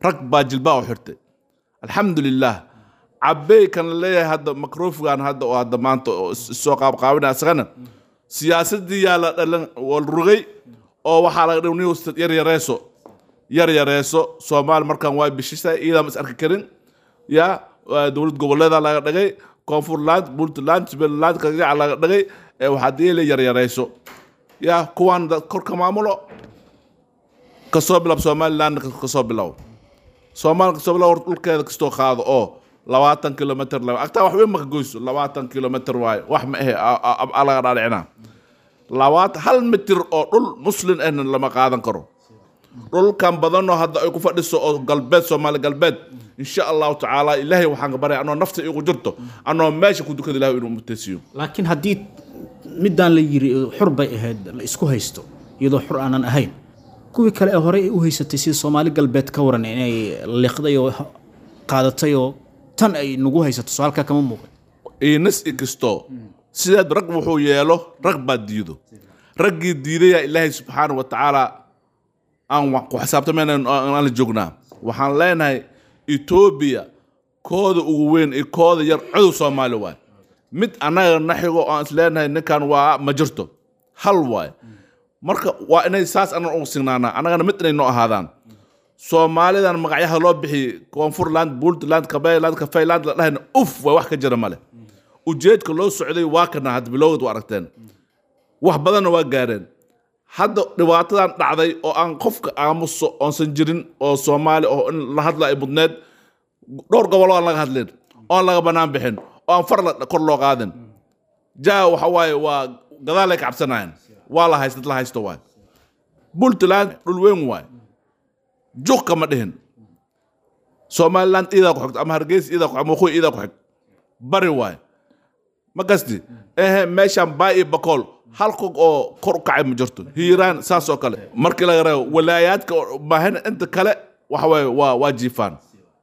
Rag baa jilbaa u xirtay. Alxamdulilah, Cabey kan la leeyahay hadda makrofigan hadda oo hadda maanta oo is- is soo qaabqaabinaya, isagana siyaasaddii yaa la dhalan wal rugay oo waxaa laga dhigay nin yar yareeso, yar yareeso. Soomaali markaan waa bishisay, iyadaan is arki karin. Ya waa dowlad goboleeda laga dhigay, Koonfurland, Puntland, Somaliland kagaca laga dhigay. Ee waxaa diile yar yareyso ya kuwaan dad kor ka maamulo, kasoo bilaab Somaliland, kasoo bilow Soomaali, kasoo bilow. Horta dhulkeeda kastoo qaado oo labaatan kilomitr laba agtaa wax weyn maka goyso. Labaatan kilomitr waaye, wax ma ahe a laga dhaadhicinaa. Labaatan hal mitir oo dhul Muslin ahna lama qaadan karo. Dhulkan badanoo hadda ay ku fadhiso oo galbeed, Soomaali Galbeed, insha Allahu tacaala Ilaahay waxaan ka baryay anoo nafta iigu jirto, anoo meesha ku dukada, Ilahay inuu mutaysiiyo. Laakiin haddii midaan la yiri xur bay ahayd la isku haysto, iyadoo xur aanan ahayn, kuwii kale ee horey ay u haysatay sida Soomaali Galbeed ka waran, inay liqday oo qaadatay oo tan ay nagu haysato, soo halkaa kama muuqan? Inas i kasto sidaad rag wuxuu yeelo, rag baa diido. Raggii diidayaa Ilaahay subxaana wa tacaala aan wax ku xisaabtamayna aan la joognaa. Waxaan leenahay Etoobiya kooda ugu weyn iyo kooda yar codow Soomaali waay. Mid annaga na xigo oo aan is leenahay ninkan waa ma jirto, hal waay. Marka waa inay saas annaga ugu signaanaa, annagana mid inay noo ahaadaan. Soomaalidan magacyaha loo bixiyey, Koonfurland, Puntland, Kabayland, Kafayland la dhahayna, uf waa wax ka jira male. Ujeedka loo socday waa kana hadda bilowgad waa aragteen, wax badanna waa gaareen. Hadda dhibaatadan dhacday oo aan qofka aamuso oonsan jirin oo Soomaali oo in la hadla ay mudneed, dhowr gobol oo aan laga hadlin, oon laga banaan bixin, oo aan far la- kor loo qaadin, jaa waxa waaye waa gadaalay ka cabsanayaan. Waa la haysta, dad la haysto waay. Puntland dhul weyn waay, juq kama dhihin. Somaliland iidaa ku xigto ama Hargeysa iidaa ku ama Waqooyi iidaa ku xig, bari waay. Ma gasti ehe meeshaan Baay iyo Bakool hal kog oo kor u kacay ma jirto. Hiiraan saas oo kale markii laga reebo walaayaadka oo- maahan, inta kale waxa waaye waa waa jiifaan.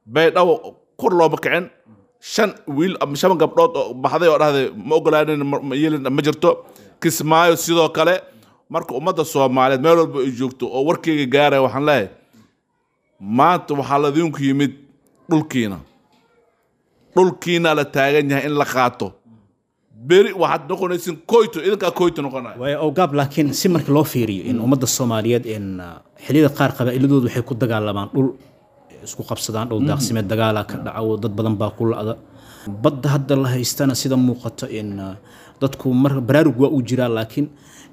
Baydhabo kor looma kicin. Shan wiil ama shan gabdhood oo baxday oo dhahday ma ogolaanin, ma yeelin, ma jirto. Kismaayo sidoo kale. Marka ummadda Soomaaliyeed meel walba ay joogto oo warkeyga gaaraya, waxaan leeyahay maanta waxaa ladinku yimid dhulkiina, dhulkiina la taagan yahay in la qaato. Beri waxaad noqonaysin koyto, idinkaa koyto noqonaya. Waayo awgaab, laakiin si marka loo fiiriyo in ummadda Soomaaliyeed in xilliyada qaar qabaa'iladoodu waxay ku dagaalamaan dhul, isku qabsadaan dhul daaqsimeed, dagaalaa ka dhaca, dad badan baa ku la'da. Badda hadda la haystana sida muuqato in dadku mar baraarug waa uu jiraa, laakiin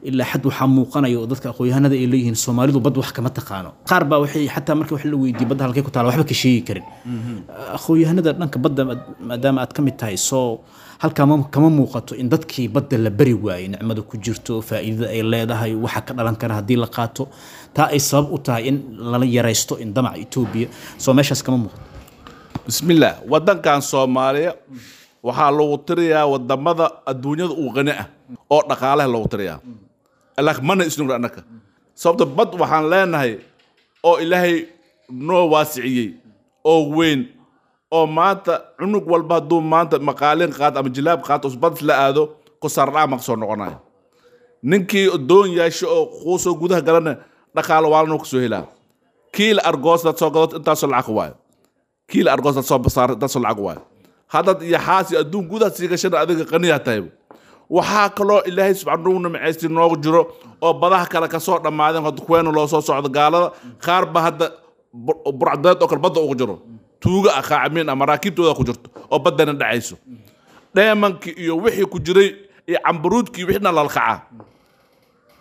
ilaa xad waxaa muuqanaya oo dadka aqoon-yahanada ay leeyihiin Soomaalidu bad wax kama taqaano. Qaar baa waxay xataa marka wax la weydiiyo badda halkay ku taala waxba ka sheegi karin. Aqoon-yahanada dhanka badda maadaama aad ka mid tahay, soo halkaa kama muuqato in dadkii badda la bari waayey, nicmada ku jirto, faa'iidada ay leedahay, waxa ka dhalan kara haddii la qaato, taa ay sabab u tahay in lala yaraysto in damaca Etoobiya? Soo meeshaas kama muuqato? Bismillaah. Waddankan Soomaaliya waxaa lagu tiriyaa wadamada adduunyada uu qani ah oo dhaqaalaha lagu tiriyaa, laakiin mana isnugna annaka. Sababta bad waxaan leenahay oo Ilaahay noo waasiciyey oo weyn, oo maanta cunug walba hadduu maanta maqaalin qaato ama jilaab qaato bad la aado, kusaardhac ma kasoo noqonayo. Ninkii doon yeesho oo quusoo gudaha galana dhaqaalo waalana kasoo helaa. Kiil argoos dad soo gadato intaasoo lacag waayo, kiil argoos dad soo basaar intaasoo lacag waayo. Haddaad iyo xaasi adduun gudaha sii gashana adiga qaniyaa tahay. Waxaa kaloo Ilaahay subxaanahu nimcaystii noogu jiro oo badaha kale kasoo dhammaadeen, hadda kuweena loo soo socdo gaalada qaar ba hadda burcdeed oo kale badda ugu jiro, tuuga ah, qaacamiin ah, maraakiibtooda ku jirto oo baddana dhacayso, dheemankii iyo wixii ku jiray iyo cambaruudkii wixina lalkacaa.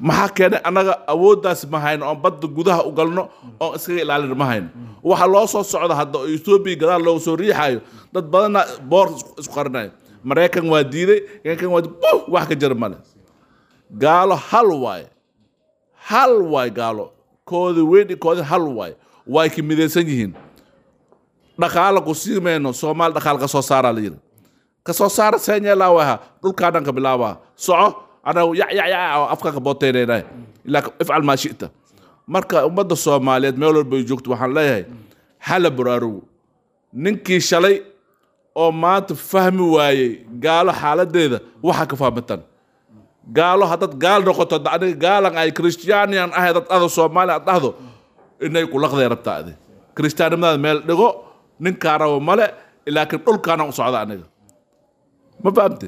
Maxaa keenay? Annaga awooddaas ma hayno oon badda gudaha u galno oon iskaga ilaalin ma hayno. Waxa loo soo socda hadda oo Etoobiya gadaal looga soo riixayo, dad badanna boor isku qarinayo. Maraykan waa diiday, kan waa buh, wax ka jira male. Gaalo hal waaye, hal waay. Gaalo koodi weyn iyo koodi hal waaye, way ka midaysan yihiin. Dhaqaala ku sii mayno, Soomaali dhaqaala ka soo saaraa la yidhi. Ka soo saara seen yeelaa waha dhulkaa dhan ka bilaabaa soco, anagu yac yac yac oo afka ka booteynayna ilaa ifcal maa shi'ta. Marka ummadda Soomaaliyeed meel walba ay joogto waxaan leeyahay hala baraarugo. Ninkii shalay oo maanta fahmi waayey gaalo xaaladeeda, waxa ka fahmatan gaalo. Haddaad gaal noqoto, hadda aniga gaalan ay Christianian ahay, dad ada Soomaali aad dhahdo inay kulaqday rabtaa, adi Christianimadaada meel dhigo, ninkaa rabo male, laakiin dhulkaana u socda aniga. Ma fahamte?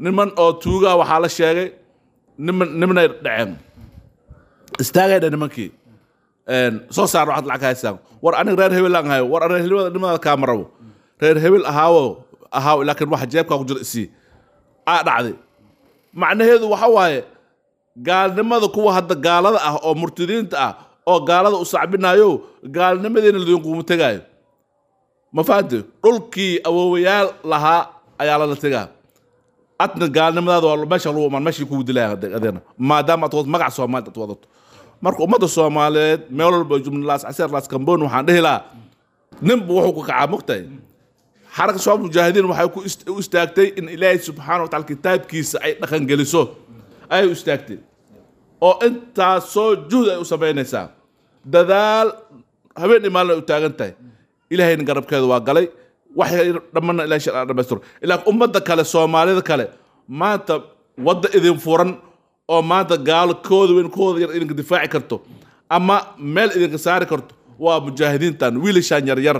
Niman oo tuugaa waxaa la sheegay niman nimanay dhaceen, istaagay dha nimankii, soo saar waxaad lacag haysaan. War aniga reer hebel aan hayo, war reer hebel nimada kaama rabo, reer hebel ahaawo ahaaw, laakiin waxa jeebkaa ku jira isii aa dhacday. Macnaheedu waxa waaye gaalnimada kuwa hadda gaalada ah oo murtadiinta ah oo gaalada u sacbinayo, gaalnimadiina ladinkuuma tegaayo. Ma fahamte? Dhulkii awoowayaal lahaa ayaa lala tegaa. Adna gaalnimadaada waa meesha lagu imaan, meeshii kugu dilaya adeena, maadaama aad magac Soomaali aad wadato. Marka ummadda Soomaaliyeed meel walba jumla, Laas Caseer, Laas Kamboon, waxaan dhihi lahaa ninba wuxuu ku kacaa mogtahay. Xaraka Shabaab Mujaahidiin waxay ku u istaagtay in Ilaahay subxaana wataala kitaabkiisa ay dhaqangeliso ayay u istaagtay, oo intaasoo juhd ay u samaynaysaa, dadaal habeen iyo maalin ay u taagan tahay. Ilaahayna garabkeeda waa galay, wax dhammanna Ilahay sharci dhamaystiro. Ilaa ummadda kale, Soomaalida kale, maanta wadda idin furan oo maanta gaalo kooda weyn kooda yar idinka difaaci karto ama meel idinka saari karto waa mujaahidiintan, wiilashaan yaryar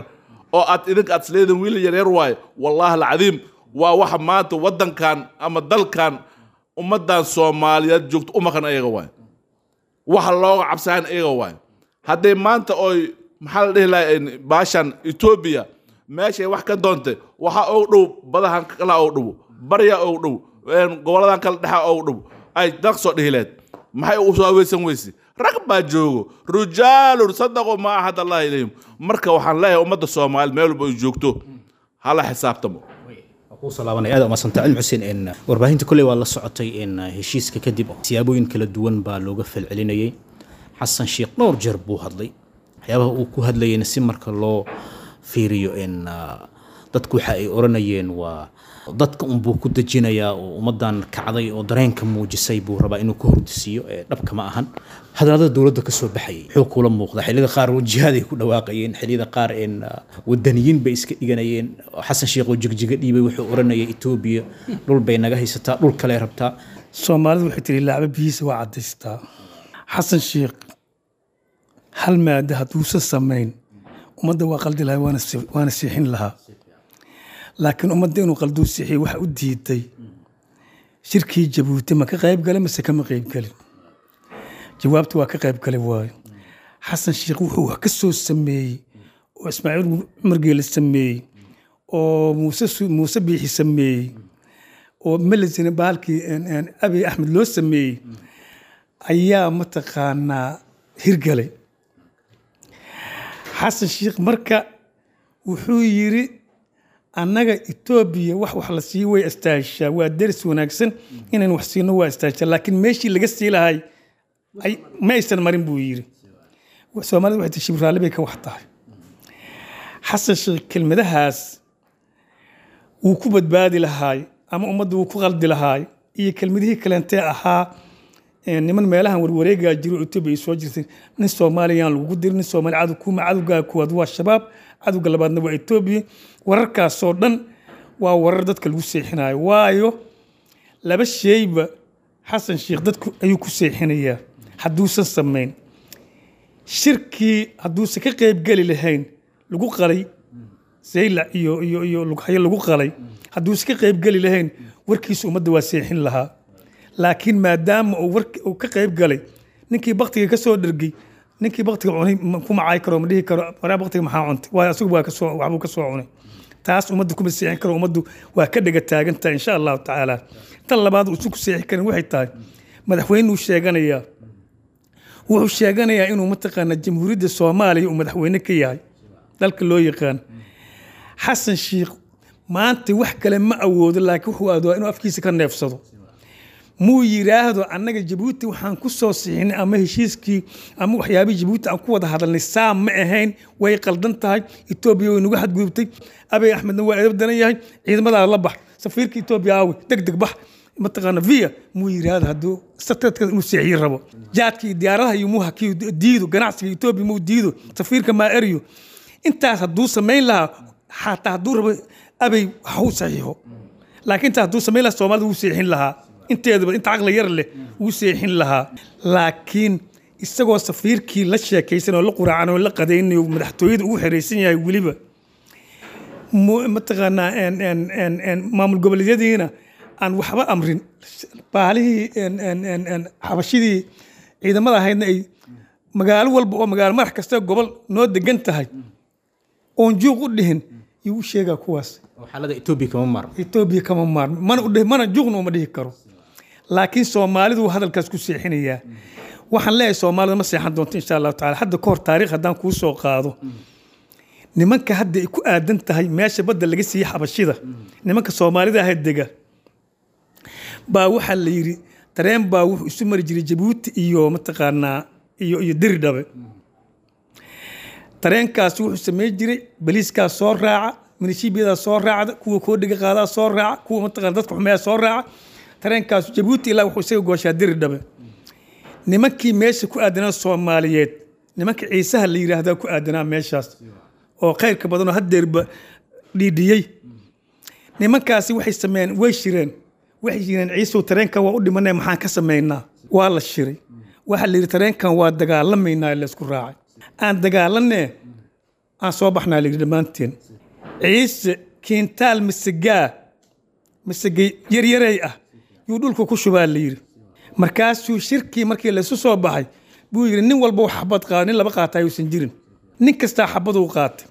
oo aad idinka aad isleediin wiilal yaryar waaye. Wallaahi alcadiim, waa waxa maanta waddankan ama dalkan ummaddan Soomaaliyeed joogto u maqan ayaga waaye, waxa looga cabsayan ayaga waaye. Hadday maanta oy maxaa la dhihi lahaa baashan Etoobiya meeshay wax ka doontay, waxaa ugu dhow badahan kala ugu dhow, barya ugu dhow, goboladan kala dhexa ugu dhow ay daq soo dhihi lahayd. Maxay u soo haweysan weyse? Rag baa joogo, rijaalun sadaqu maa ahad Allah ilayhim. Marka waxaan leeyahay ummadda Soomaaliya meel walba ay joogto hala xisaabtamo. Kusoo laabanaya. Aad umadsanta Cilmi Xuseen. In warbaahinta kolley waa la socotay in heshiiska kadib siyaabooyin kala duwan baa looga falcelinayay. Xasan Sheekh dhowr jeer buu hadlay, waxyaabaha uu ku hadlayayna si marka loo fiiriyo in Dadku waxa ay oranayeen waa dadka unbuu ku dejinayaa oo ummaddan kacday oo dareenka muujisay buu rabaa inuu ku hordisiiyo, ee dhabka ma ahan. Hadallada dowladda ka soo baxayay wuxuu kula muuqda xilliyada qaar jihaaday ku dhawaaqayeen, xilliyada qaar een wadaniyiin bay iska dhiganayeen. Xasan Sheekh oo jigjiga dhiibay wuxuu oranayay Etoobiya dhul bay naga haysataa, dhul kale rabtaa. Soomaalidu waxay tiri laacba biyihiisa waa caddaystaa. Xasan Sheekh hal maada hadduusan samayn ummadda waa qaldi lahaa, waana waana seexin lahaa, laakiin ummadda inuu qalduu seexiyo waxa u diiday shirkii Jabuuti ma ka qayb galay mase kama qayb gelin? Jawaabtu waa ka qayb galay. Waayo, Xasan Sheekh wuxuu wax ka soo sameeyey oo Ismaaciil Cumar Geele sameeyey oo Muuse Muuse Biixi sameeyey oo Melisina bahalkii Abiy Axmed loo sameeyey ayaa mataqaanaa hirgalay. Xasan Sheekh marka wuxuu yiri annaga Etoobiya wax wax la siiyo way istaashaa, waa deris wanaagsan, inaan wax siino waa istaashaa, laakiin meeshii laga sii lahay ma aysan marin buu yiri. Soomaalida waxay tihi shibraalle bay ka wax tahay. Xasan Sheekh kelmadahaas wuu ku badbaadi lahaay ama ummadda wuu ku qaldi lahaay, iyo kelmadihii kaleentee ahaa niman meelahan warwareegaa jiro Etoobiya ay soo jirtay, nin Soomaaliyaan lagugu dirin, nin Soomaali cadow kuma, cadowgaa kuwaad waa Shabaab, cadowga labaadna waa Etoobiya. Wararkaasoo dhan waa warar dadka lagu seexinayo. Waayo, laba sheyba Xasan Sheekh dadku ayuu ku seexinayaa hadduusan samayn shirkii, hadduusan ka qaybgeli lahayn lagu qalay Zaylac iyo iyo iyo Lughayo lagu qalay, hadduusan ka qaybgeli lahayn warkiisa ummadda waa seexin lahaa. Laakiin maadaama uu warki uu ka qayb galay, ninkii baktiga ka soo dhergay, ninkii baktiga cunay kuma caay karo, ma dhihi karo waraa baktiga maxaa cuntay, waayo asagu waa kasoo waxbuu ka soo cunay. Taas ummadda kuma seexin karo, ummaddu waa ka dhega taagantahay insha Allahu tacaala. Tan labaad uusan ku seexin karin waxay tahay madaxweynuu sheeganayaa, wuxuu sheeganayaa inuu mataqaanaa Jamhuuriyadda Soomaaliya uu madaxweyne ka yahay dalka loo yaqaan. Xasan Sheekh maanta wax kale ma awoodo, laakiin wuxuu aadaa inuu afkiisa ka neefsado. Muu yiraahdo annaga Jabuuti waxaan ku soo sixinay ama heshiiskii ama waxyaabihii Jabuuti aan ku wada hadalnay saa ma ahayn, way qaldan tahay, Etoobiya way nagu xadgudubtay, Abiy Axmedna waa edab daran yahay, ciidamadaa la bax, safiirka Etoobiya aawe, deg deg bax, mataqaana via muu yiraahdo. Hadduu satadka inuu seexiyo rabo, jaadka iyo diyaaradaha iyo muu hakiyo diido, ganacsiga Etoobiya muu diido, safiirka maa eryo, intaas hadduu samayn lahaa, xataa hadduu rabo Abiy ha u saxiixo, laakiin intaas hadduu samayn lahaa Soomaalida wuu seexin lahaa, inteedaba inta caqli yar leh wuu seexin lahaa. Laakiin isagoo safiirkii la sheekaysan oo la quraacan oo la qadaynayo madaxtooyada ugu xeraysan yahay, weliba mataqaanaa maamul goboleedyadiina aan waxba amrin, baalihii xabashidii ciidamada ahaydna ay magaalo walba oo magaalo madax kasta gobol noo degan tahay oon juuq u dhihin, yuu u sheegaa kuwaas. Xaalada Etoobiya kama maarmo, Etoobiya kama maarmo, mana udhihi mana juuqna uma dhihi karo, laakiin Soomaalidu hadalkaas ku seexinayaa. Waxaan leeyahay Soomaalida ma seexan doonto insha Allahu tacala. Hadda ka hor taariikh haddaan kuu soo qaado, nimanka hadda ay ku aadan tahay meesha badda laga siiyey xabashida, nimanka Soomaalida ahayd dega baa waxaa la yidhi tareen baa wuxuu isu mari jiray Jabuuti iyo mataqaanaa iyo iyo Diridhabe. Tareenkaas wuxuu samayn jiray baliiskaa soo raaca, minishiibiyadaa soo raacda, kuwa koodhiga qaadaa soo raaca, kuwa mataqaana dadka xumeeyaa soo raaca. Tareenkaas Jabuuti ilaa wuxuu isaga gooshaa Diridhabe. Nimankii meesha ku aadanaa Soomaaliyeed, nimanka Ciisaha la yidhaahdaa ku aadanaa meeshaas oo khayrka badan oo haddeerba dhiidhiyey, nimankaasi waxay sameeyeen, way shireen, waxay yireen Ciisow tareenkan waa u dhimanay, maxaan ka samaynaa? Waa la shiray, waxaa la yidhi tareenkan waa dagaalamaynaa, laysku raacay, aan dagaalanee aan soo baxnaa la yidhi dhammaanteen. Ciise kiintaal masagaa masagay yaryarey ah yuu dhulka ku shubaa la yidhi. Markaasuu shirkii markii laysu soo baxay buu yidhi nin walba wax xabad qaado, nin laba qaata ayuusan jirin, nin kastaa xabaduu qaatay.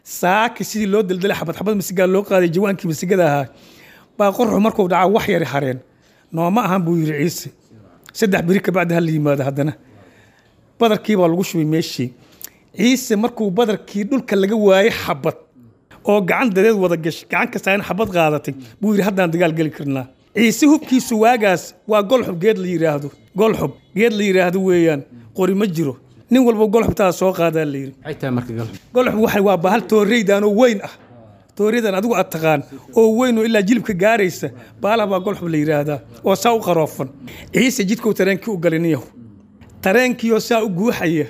Saaki sidii loo daldalay xabad xabad masigaa loo qaaday jawaankii masigada ahaa baa qorxu markuu dhacaa wax yari hareen. Nooma ahan buu yidhi Ciise, saddex beri kabacdi ha la yimaado. Haddana badarkii baa lagu shubay meeshii. Ciise markuu badarkii dhulka laga waayey xabad oo gacan dadeed wada gashay, gacan kastaa in xabad qaadatay, buu yidhi haddaan dagaal geli karnaa. Ciise hubkiisu waagaas waa golxub, geed la yidhaahdo golxub, geed la yidhaahdo weeyaan, qori ma jiro, nin walba golxubtaa soo qaadaa la yidhi. Maxay tahay marka golxub? Golxub waxa waa bahal tooreydaanoo weyn ah, Tooriyadan adigu aad taqaan oo weyn oo ilaa jilibka gaaraysa baalaha baa golxob la yidhaahdaa oo saa u qaroofan. Ciise jidkuu tareenkii u galay niyahu, tareenkiioo saa u guuxaya,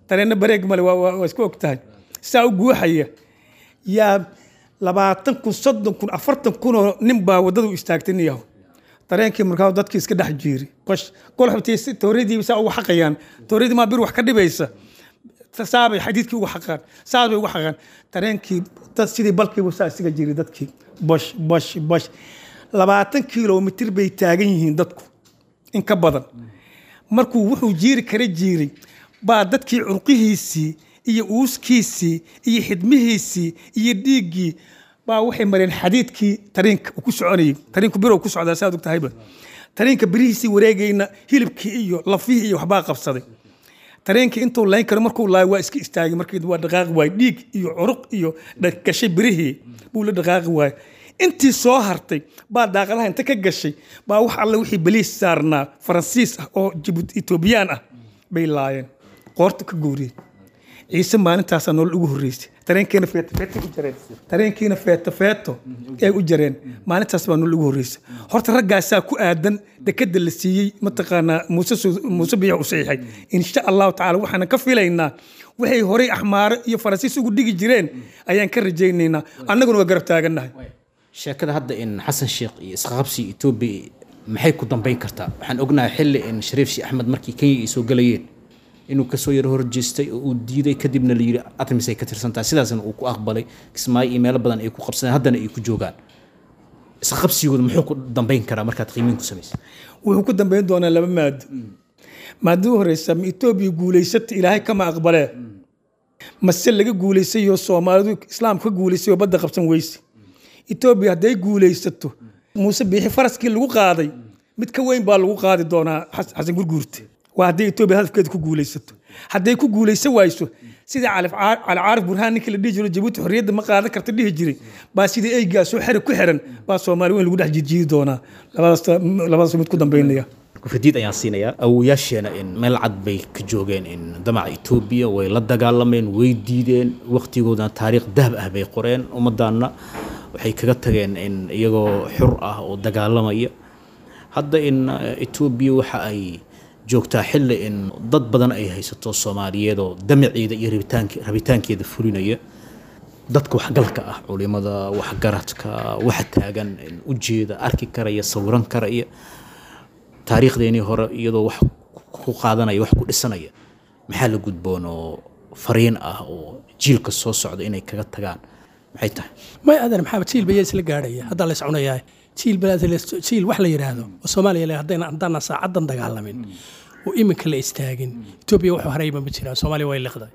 tareenna bareeg male, waa waa isku og tahay, saa u guuxaya yaa labaatan kun, soddon kun, afartan kunoo nin baa waddadu istaagtay niyahu. Tareenkii markaa dadkii iska dhex jiiri qosh golxobtii tooriyadii saa ugu xaqayaan. Tooriyadii maa bir wax ka dhibaysa, saabay xadiidkii ugu xaqaan, saas bay ugu xaqaan tareenkii dad sidii balkiibu saa isaga jiray dadkii bosh bosh bosh. Labaatan kilomitir bay taagan yihiin dadku in ka badan. Markuu wuxuu jiiri kara jiiray baa dadkii curqihiisii iyo uuskiisii iyo xidmihiisii iyo dhiiggii baa waxay mareen xadiidkii tareenka uu ku soconayay. Tareenku birow ku socdaa saad og tahayba. Tareenka birihiisii wareegayna hilibkii iyo lafihii iyo waxbaa qabsaday. Tareenkii intuu layn karo markuu laayo waa iska istaagay. Markii waa dhaqaaqi waayey, dhiig iyo curuq iyo gashay birihii buu la dhaqaaqi waayey. Intii soo hartay baa daaqadaha inta ka gashay baa wax alle wixii baliis saarnaa Faransiis ah oo Jibuuti Etoobiyaan ah bay laayeen, qoorta ka gooriyeen. Ciise maalintaasaa nolol ugu horreysay. Tareenkiina feeto feeto u jareen, tareenkiina feeto feeto ay u jareen. Maalintaas baa nolol ugu horreysay. Horta raggaasaa ku aadan dekada la siiyey mataqaanaa Muuse Muuse Biix u saxiixay. Insha Allahu tacaala waxaan ka filaynaa waxay horey Axmaaro iyo Faransiis ugu dhigi jireen ayaan ka rajaynaynaa, annaguna waa garab taagannahay. Sheekada hadda in Xasan Sheekh iyo isqabsi Etoobiya maxay ku dambeyn kartaa? Waxaan ognahay xilli in Shariif Sheekh Axmed markii Kenya ay soo galayeen inuu kasoo yaro horjeestay oo uu diiday, kadibna la yidhi Artemis ay ka tirsantahay, sidaasna uu ku aqbalay. Kismaayo iyo meelo badan ay ku qabsadeen, haddana ay ku joogaan. Isqabsigooda muxuu ku dambeyn karaa markaad qiimeyn ku samaysay? Wuxuu ku dambeyn doonaa laba maado. Maadada u horeysa, ma Etoobiya guulaysata Ilaahay kama aqbalee, mase laga guulaysayoo Soomaalidu Islaamka ka guulaysay oo badda qabsan weyse? Etoobiya hadday guulaysato, Muuse Biixi faraskii lagu qaaday mid ka weyn baa lagu qaadi doonaa Xasan Gurguurte. Waa hadday Etoobiya hadafkeeda ku guulaysato. Hadday ku guulaysan wayso, sida Cali Caarif Burhaan ninkii la dhihi jiro Jabuuti xorriyadda ma qaadan karta dhihi jiray baa sidii eygaasoo xeri ku xiran baa Soomaali weyn lagu dhex jijiidi doonaa. Labadaas labadaas mid ku dambeynaya. Kufadiid ayaan siinayaa. Awowayaasheena in meel cad bay ka joogeen in damaca Etoobiya way la dagaalameen, way diideen, waqtigoodana taariikh dahab ah bay qoreen. Ummaddaanna waxay kaga tageen in iyagoo xur ah oo dagaalamaya. Hadda in Etoobiya waxa ay joogtaa xilli in dad badan ay haysato Soomaaliyeed oo damaceeda iyo rabitaank rabitaankeeda fulinaya. Dadka waxgalka ah, culimada, waxgaradka, waxa taagan ujeeda, arki karaya, sawiran karaya taariikhdeenii hore iyadoo wax ku qaadanaya, wax ku dhisanaya, maxaa la gudboon oo fariin ah oo jiilka soo socda inay kaga tagaan maxay tahay? May adan maxaa jiil bayaa isla gaadhaya hadda la iscunayaa? Jiil baa jiil wax la yidhaahdo oo Soomaaliya le haddayna haddaana saacadan dagaalamin oo iminka la istaagin, Etoobiya wuxuu harayba ma jiraan. Soomaaliya way liqday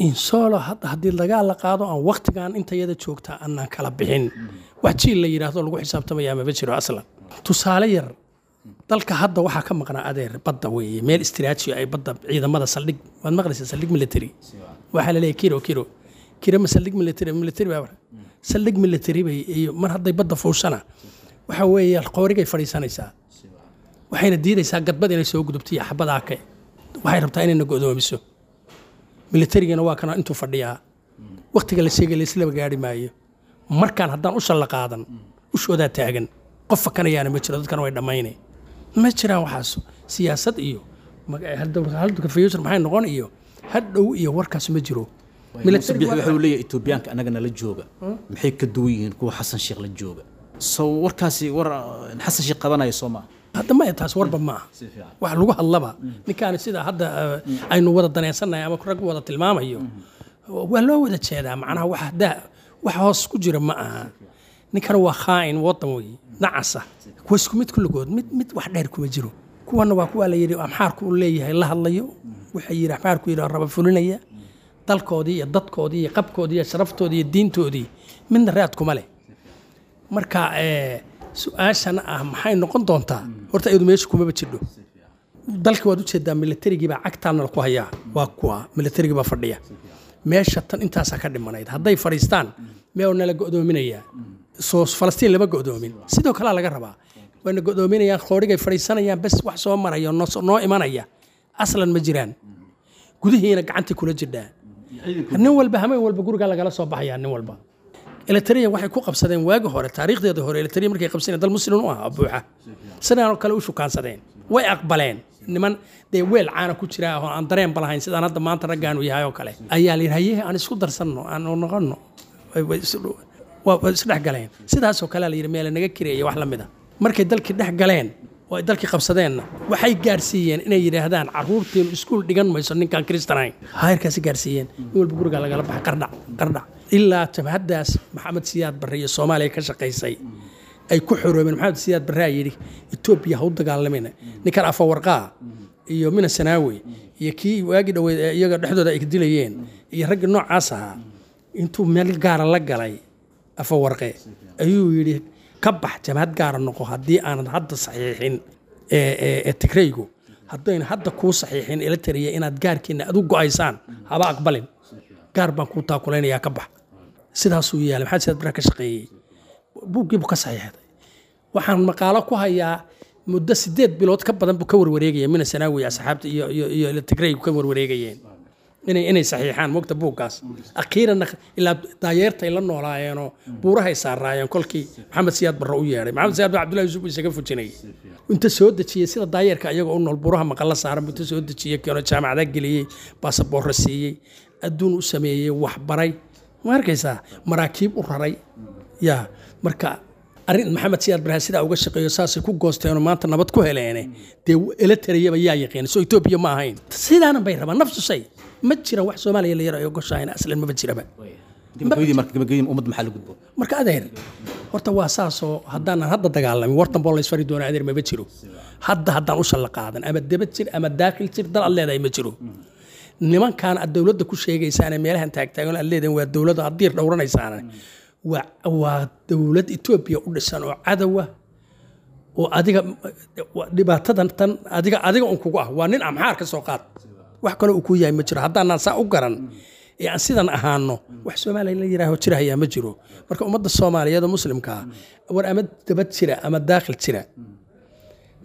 insolo. Hadda haddii dagaal la qaado aan waqtigan inta yada joogtaa aanaan kala bixin, wax jiil la yidhaahdo lagu xisaabtamaya maba jiro aslan. Tusaale yar, dalka hadda waxaa ka maqnaa adeer badda weeye, meel istiraatiiji ay badda ciidamada saldhig. Waad maqlaysaa saldhig military, waxaa la leeyahay kiro kiro kiro ma saldhig military military baa saldhig military bay. Iyo mar hadday badda fuushana waxa weeye qoorigay fadhiisanaysaa, waxayna diidaysaa gadbad inay soo gudubto iyo xabadaa ke waxay rabtaa inayna go'doomiso. Militarigana waa kana intuu fadhiyaa waqtiga la sheegay la islaba gaari maayo. Markaan haddaan usha la qaadan, ushoodaa taagan, qof fakanayaana ma jiro, dadkana way dhammaynay. Ma jiraan waxaas siyaasad iyo halka future maxay noqon iyo hadhow iyo warkaas ma jiro. Muuse Biixi wuxuu leeyahay Etoobiyaanka annagana la jooga maxay ka duwan yihiin kuwa Xasan Sheekh la jooga? So warkaasi war Xasan Sheekh qabanaya soo maaha? Hadda maya, taas warba ma aha wax lagu hadlaba. Ninkaani sida hadda aynu wada danaysannahay ama rag wada tilmaamayo waa loo wada jeedaa. Macnaha wax daa wax hoos ku jira ma aha. Ninkana waa khaa'in wadan wey nacasa. Kuwa isku mid kulligood, mid mid wax dheer kuma jiro. Kuwana waa kuwa la yidhi Amxaarku uu leeyahay la hadlayo, waxay yidhi Axmaarku yidhi raba fulinaya. Dalkoodii iyo dadkoodii iyo qabkoodii iyo sharaftoodii iyo diintoodii midna raad kuma leh. Marka su-aashana ah maxay noqon doontaa, horta iyadu meesha kumaba jidho. Dalka waad ujeedaa, militarigii baa cagtaana ku hayaa, waa kuwa militarigii baa fadhiya meesha. Tan intaasaa ka dhimanayd hadday fadhiistaan meel nala go'doominayaa. Soo Falastiin lama go'doomin, sidoo kalea laga rabaa wayna go'doominayaan, qoorigay fadhiisanayaan bes. Wax soo maraya noo imanaya aslan ma jiraan. Gudihiina gacantii kula jirdhaa, nin walba hameen walba gurigaa lagala soo baxayaa nin walba. Eritrea waxay ku qabsadeen waagi hore, taariikhdeeda hore Eritrea markay qabsadeen dal muslim u ahaa buuxa, sidaan oo kale u shukaansadeen, way aqbaleen. Niman dee weel caana ku jira oo aan dareenba lahayn sidaan hadda maanta raggaanu yahay oo kale ayaa la yidhi, haye aan isku darsanno, aan noqonno, waa isdhex galeen. Sidaasoo kale la yidhi meele naga kireeya wax la mid a. Markay dalkii dhex galeen oo ay dalkii qabsadeenna waxay gaarsiiyeen inay yidhaahdaan carruurteenu iskuul dhigan mayso ninkaan kristan ahayn. Heerkaasi gaarsiiyeen, in walba gurigaa lagala baxay, qardhac qardhac, ilaa jabhaddaas Maxamed Siyaad Barre iyo Soomaaliya ka shaqaysay ay ku xoroobeen. Maxamed Siyaad Barre aa yidhi Etoobiya ha u dagaalamina, ninkan Afawarqaa iyo Mina Sanaawi iyo kii waagii dhoweyd ee iyaga dhexdooda ay ka dilayeen iyo raggii noocaas ahaa intuu meel gaara la galay Afawarqe ayuu yidhi ka bax, jabhad gaara noqo, haddii aanad hadda saxiixin ee Tigraygu haddayna hadda kuu saxiixin Eritrea inaad gaarkiina aad u go'aysaan haba aqbalin, gaar baan kuu taakulaynayaa, ka bax. Sidaasuu yeelay. Maxamed Siyaad Barre ka shaqeeyey, buuggiibuu ka saxiixday. Waxaan maqaalo ku hayaa muddo sideed bilood ka badan buu ka warwareegaya Mina Sanaawi asxaabta iyo iyo iyo Tigraygu ka warwareegayeen inay inay saxiixaan mogta buuggaas. Akhiiranna ilaa daayeertay la noolaayeenoo buurahay saaraayeen kolkii Maxamed Siyaad Barre u yeedhay. Maxamed Siyaad Barre Cabdullahi Yuusuf isaga fujinayay, inta soo dejiyey sida daayeerka iyagoo u nool buuraha maqalla saaran buu inta soo dejiyey keeno, jaamacada geliyey, baasaboorro siiyey, adduun u sameeyey, waxbaray, ma arkaysaa, maraakiib u raray. Yaa marka arrin Maxamed Siyaad Barre sidaa uga shaqeeyo, saasay ku goosteenoo maanta nabad ku heleene. Dee Eritreyaba yaa yaqiin soo Etoobiya ma ahayn? Sidaana bay rabaan nafsu shay. Ma jiraan wax Soomaaliya la yaro ay ogoshahayn, aslan maba jiraba. Gabagabadii, marka gabagabadii ummadda maxaa la gudbo? Marka adeer horta waa saasoo haddaanan hadda dagaalamin wartan boo laysfari doona adeer maba jiro. Hadda haddaan u shalla qaadan ama debad jir ama daakil jir, dal aad leedahay ma jiro. Nimankaan aad dowladda ku sheegaysaane meelahan taagtaagan aad leedahin waa dowladda aad diir dhowranaysaane, waa waa dowlad Etoobiya u dhisan oo cadowa oo adiga dhibaatadan tan adiga adiga un kugu ah. Waa nin Amxaar ka soo qaad, wax kale uu ku yahay ma jiro. Haddaanaan saa u garan ee aan sidan ahaano, wax Soomaaliya la yidhaaho jirahayaa ma jiro. Marka ummadda Soomaaliyeed oo muslimka ah, war ama dabad jira ama daakhil jira,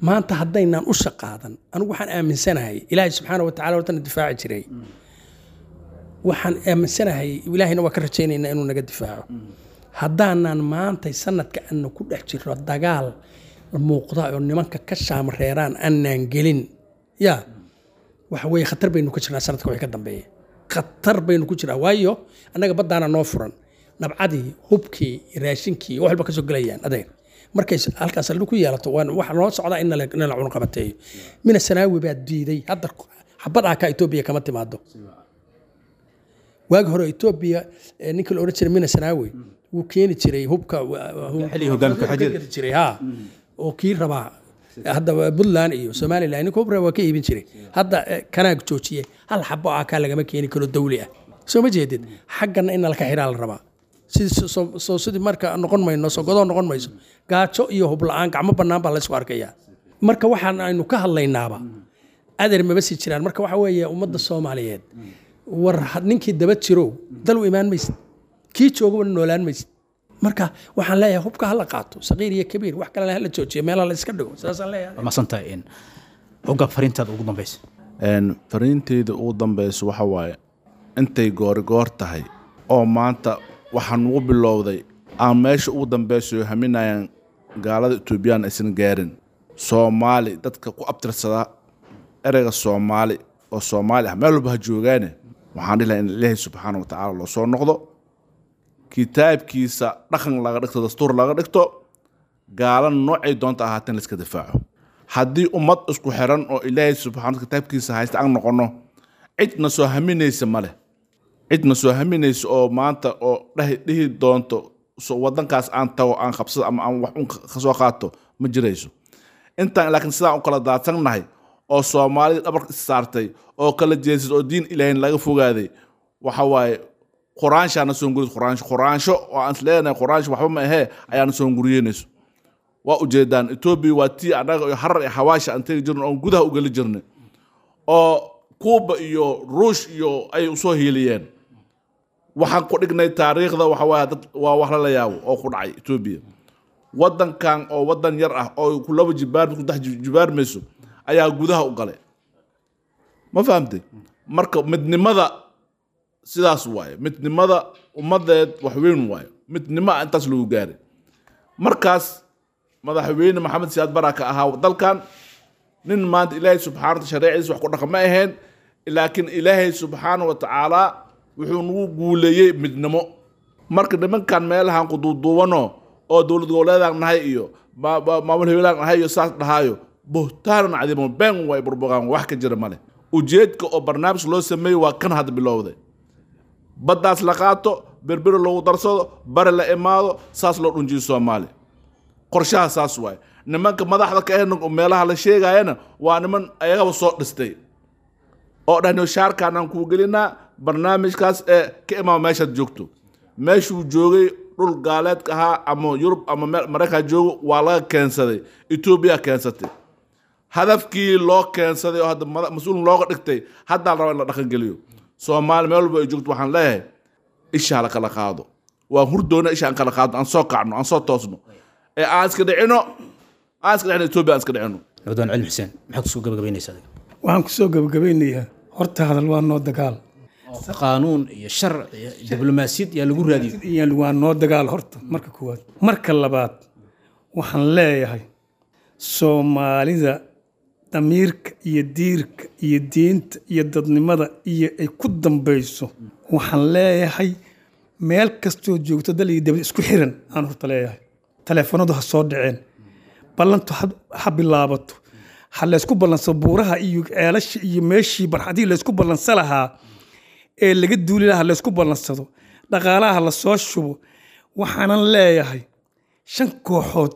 maanta haddaynaan u shaqaadan, anigu waxaan aaminsanahay Ilaahay subxaana wa tacala hortana difaaci jiray, waxaan aaminsanahay Ilaahayna waa ka rajaynaynaa inuu naga difaaco. Haddaanaan maantay sanadka aana ku dhex jirro dagaal muuqda oo nimanka ka shaamreeraan aanaan gelin, yaa waxa weeye khatar baynu ku jirnaa. Sanadka wixii ka dambeeya khatar baynu ku jirnaa, waayo annaga baddaana noo furan, nabcadii, hubkii, raashinkii, wax walba ka soo gelayaan adeer. Markay halkaas saldhig ku yeelato waan waxa noo socdaa in nala cunqabateeyo. Mina Sanaawi baa diiday hadda xabad ah ka Etoobiya kama timaado. Waagi hore Etoobiya ninka la odhan jiray Mina Sanaawi wuu keeni jiray hubka jiray, ha oo kii rabaa hadda Puntland iyo Somaliland ninka hub rabaa waa ka iibin jiray. Hadda kanaag joojiyey, hal xabo ah kaa lagama keeni karo dawli ah. Soo ma jeedid xaggana in nalka xiraa la rabaa. Soo sidii marka noqon mayno, soo godoo noqon mayso, gaajo iyo hub la-aan gacmo bannaan baa laysku arkayaa. Marka waxaan aynu ka hadlaynaaba adeer maba sii jiraan. Marka waxa weeye ummadda Soomaaliyeed, war ninkii daba jirow dal u imaan maysid, kii joogaba noolaan maysid. Marka waxaan leeyahay hubka hala qaato, saqiir iyo kabiir, wax kalena hala joojiyo, meelaha la iska dhigo, sidaasaan leeyahay. Waa mahadsantahay Hoggaab, fariintaada ugu dambaysa. Fariinteyda ugu dambaysa waxa waaye intay goorigoor tahay oo maanta waxaan ugu bilowday aan meesha ugu dambaysayo haminayaan gaalada Etoobiyaan aysan gaarin. Soomaali dadka ku abtirsada ereyga Soomaali oo Soomaali ah meel walba ha joogaane, waxaan dhihi lahaa in Ilaahay subxaana wa tacaala loo soo noqdo, kitaabkiisa dhaqan laga dhigto, dastuur laga dhigto, gaala noocay doonta ahaateen la iska difaaco. Haddii ummad isku xiran oo Ilaahay subxaana kitaabkiisa haysta aan noqono, cidna soo haminaysa ma leh, cidna soo haminaysa oo maanta oo dhahi dhihi doonto so waddankaas aan tago aan qabsado ama aan wax un ka soo qaato ma jirayso intaan. Laakiin sidaan u kala daadsannahay oo Soomaalida dhabarka is saartay oo kala jeesad oo diin Ilaahayn laga fogaaday, waxa waaye quraanshaana soo gurid, quraansho quraansho oo aan isleenahay quraansho waxba ma ahee ayaana soo guriyeynayso. Waa ujeedaan Etoobiya waa tii annaga iyo Harar iyo Xawaasha aan tegi jirnay oon gudaha u geli jirnay oo Kuuba iyo Ruush iyo ay usoo hiiliyeen. Waxaan ku dhignay taariikhda, waxa waaye dad waa wax lala yaabo oo ku dhacay Etoobiya. Waddankan oo waddan yar ah oo ku laba jibaar ku dex jibaarmayso ayaa gudaha u galay, ma fahamtay? Marka midnimada sidaas waaye, midnimada ummadeed wax weyn waaye. Midnimo ah intaas lagu gaaray. Markaas madaxweyne Maxamed Siyaad Baraka ahaa dalkan. Nin maanta Ilaahay subxaana wa shareeciisa wax ku dhaqa ma ahayn, laakiin Ilaahay subxaana wa tacaala wuxuu nagu guuleeyey midnimo. Marka nimankan meelahan ku duuduubano oo dowlad goboleedaan nahay iyo ma- ma- maamul hebelaan nahay iyo saas dhahaayo, buhtaanan cadiimo, been way burbuqaan, wax ka jira male. Ujeedka oo barnaamij loo sameeyey waa kan hadda bilowday: baddaas la qaato, Berberi lagu darsado, bari la imaado, saas loo dhunjiyo Soomaali. Qorshaha saas waaye. Nimanka madaxda ka ahna oo meelaha la sheegayana waa niman ayagaba soo dhistay oo dhahno shaarkaan aan kuu gelinaa barnaamijkaas ee ka imaama meeshaad joogto. Meeshuu joogay dhul gaaleedka ahaa ama Yurub ama meel Maraykan joogo, waa laga keensaday, Etoobiya keensatay. Hadafkii loo keensaday oo hadda mada- mas-uul looga dhigtay haddaa la rabaa in la dhaqangeliyo. Soomaali meel walba ay joogto waxaan leeyahay, isha la kala qaado. Waan hurdoona, isha aan kala qaadno, aan soo kacno, aan soo toosno ee aan iska dhicino, aan iska dhicino Etoobiya, aan iska dhicino. Nabdoon Cilmi Xuseen, maxaad kusoo gabagabaynaysaa adiga? Waxaan kusoo gabagabeynayaa, horta hadal waa noo dagaal. Qaanuun iyo sharci iyo diblomaasiyad yaa lagu raadiyo. Iyo waa noo dagaal horta marka koowaad. Marka labaad, waxaan leeyahay Soomaalida damiirka iyo diirka iyo diinta iyo dadnimada iyo ay ku dambayso, waxaan leeyahay meel kastoo joogto dal iyo dibad isku xiran aan horta leeyahay. Taleefanadu ha soo dhaceen, ballantu ha- ha bilaabato, ha laysku ballansado buuraha iyo ceelasha iyo meeshii barxadihii laysku ballansa lahaa ee laga duuli lahaa, laysku ballansado, dhaqaalaha la soo shubo. Waxaanan leeyahay shan kooxood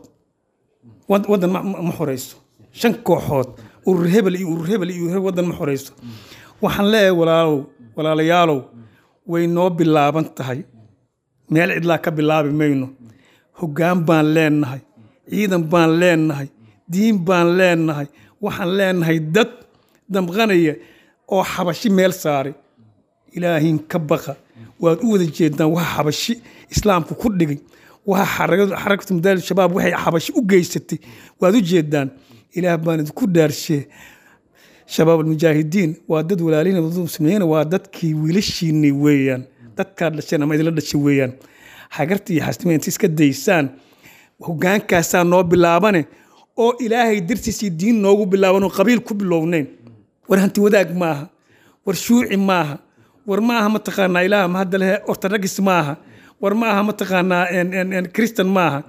wad- waddan ma- ma ma xoreyso. Shan kooxood, urur hebel iyo urur hebel iyo urur hebel, waddan ma xoreyso. Waxaan leeyahay walaalow, walaalayaalow, way noo bilaaban tahay, meel cidlaa ka bilaabi mayno. Hoggaan baan leenahay, ciidan baan leenahay, diin baan leenahay. Waxaan leenahay dad damqanaya oo xabashi meel saaray. Ilaahin ka baqa. Waad u wada jeedaan waxa xabashi islaamku ku dhigay, waxa xarakadu xarakatu mujaahidiin shabaab waxay xabashi u geysatay waad u jeedaan. Ilaah baan idinku dhaarshee, shabaab almujaahidiin waa dad walaalihiin, dad muslimiin, waa dadkii wiilashiinii weeyaan, dadkaad dhasheen ama idinla dhashay weeyaan. Hagarta iyo xasnimada inta iska daysaan, hogaankaasaa noo bilaabane oo Ilaahay dartiisii diin noogu bilaaban oo qabiil ku bilownayn. War hanti wadaag maaha, war shuuci maaha, war maaha mataqaanaa Ilaah ma hadda lehe ortodokis maaha, war maaha mataqaanaa en- en- en kristan maaha,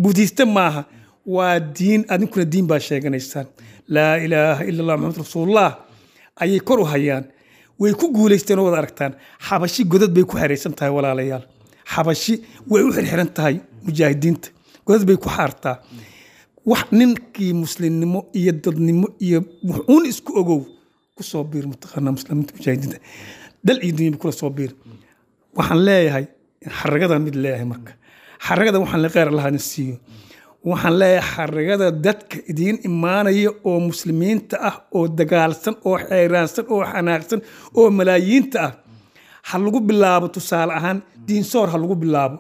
budiiste maaha, waa diin. Adinkuna diin baa sheeganaysaan. Laa ilaaha ila Allah Maxamed rasuulullah ayay kor u hayaan. Way ku guulaysteen oo wada aragtaan. Xabashi godad bay ku xeraysan tahay, walaalayaal. Xabashi way u xirxiran tahay mujaahidiinta, godad bay ku xaartaa. Wax ninkii muslimnimo iyo dadnimo iyo wuxuun isku ogow ku soo biir mataqaanaa muslimiinta mujaahidiinta, dal iyo dunyaba kula soo biir. Waxaan leeyahay xaragadan mid leeyahay. Marka xaragada waxaan le kheyr Allah idin siiyo. Waxaan leeyahay xaragada dadka idiin imaanaya oo muslimiinta ah oo dagaalsan oo xeeraansan oo xanaaqsan oo malaayiinta ah, ha lagu bilaabo tusaale ahaan Diinsoor, ha lagu bilaabo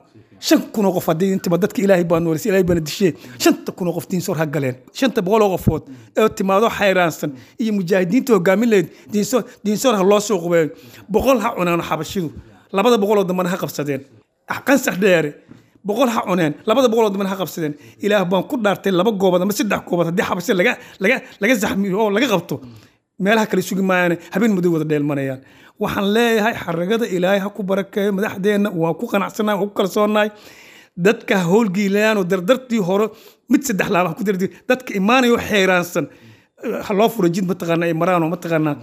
shan kun oo qof. Haddii intiba dadka Ilaahay baa noolisay, Ilaahay baana dishee, shanta kun oo qof Diinsoor ha galeen. Shanta boqol oo qofood ee timaado xayraansan iyo mujaahidiinta hogaamin lahayd Diinsoor, Diinsoor ha loo soo qubeeyo. Boqol ha cunaan xabashidu, labada boqol oo dambana ha qabsadeen. Qansax Dheere boqol ha cuneen, labada boqol oo dambana ha qabsadeen. Ilaah baan ku dhaartay, laba goobood ama saddex goobood haddii xabashida laga laga laga zaxmiyo oo laga qabto, meelaha kale sugi maayaan, habeen madow wada dheelmanayaan. Waxaan leeyahay xaragada Ilaahay ha ku barakeeyo madaxdeenna. Waa ku qanacsannahay, waa ku kalsoonahay. Dadka ha howlgiilayaan oo dardartii hore mid saddex laaba ha ku dardi. Dadka imaanayo xeeraansan ha loo furo jid mataqaanaa ay maraan oo mataqaanaa.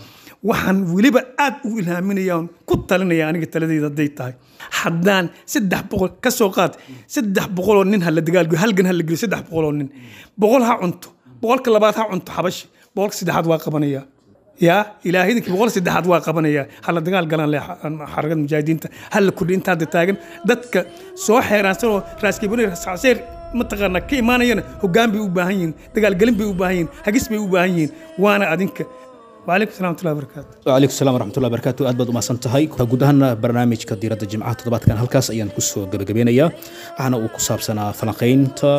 Waxaan weliba aad u ilhaaminaya oon ku talinaya aniga taladayda hadday tahay, haddaan saddex boqol ka soo qaad, saddex boqoloo nin ha la dagaalgiyo, halgan ha la geliyo. Saddex boqoloo nin, boqol ha cunto, boqolka labaad ha cunto xabashi, boqolka saddexaad waa qabanaya. Yaa Ilaahay idinkii, boqol saddexaad waa qabanaya. Ha la dagaal galaan le xarakada mujaahidiinta, ha la kordhi inta hadda taagan. Dadka soo xeeraansan oo raaskibuni rasacseer mataqaanaa ka imaanayana hoggaan bay u baahan yihiin, dagaalgelin bay u baahan yihiin, hagis bay u baahan yihiin. Waana adinka. Wacalaykum salam waraxmatullahi wabarakaatu. Wcalaykum salaam waraxmatullahi wabarakaatu. Aad baad umahadsan tahay. Guud ahaana barnaamijka diiradda jimcaha toddobaadkan halkaas ayaan kusoo gabagabeynayaa, waxaana uu ku saabsanaa falanqaynta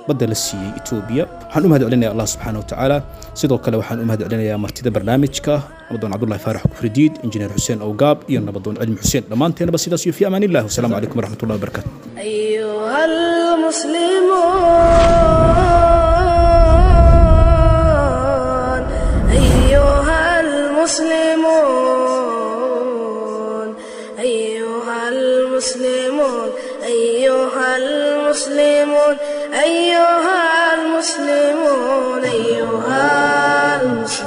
Badda la siiyey Etoobiya. Waxaan u mahad celinayaa Allah subxaana wa tacaala. Sidoo kale waxaan u mahad celinayaa martida barnaamijka, Nabadoon Cabdulahi Faarax Kufridiid, Injineer Xuseen Owgaab iyo Nabadoon Cilmi Xuseen. Dhammaanteenaba sidaas iyo fi amaan illah. Wasalaamu calaykum waraxmatullahi wabarakaatu. أيها المسلمون أيها المسلمون أيها المسلمون أيها المسلمون أيها المسلمون أيها المسلمون.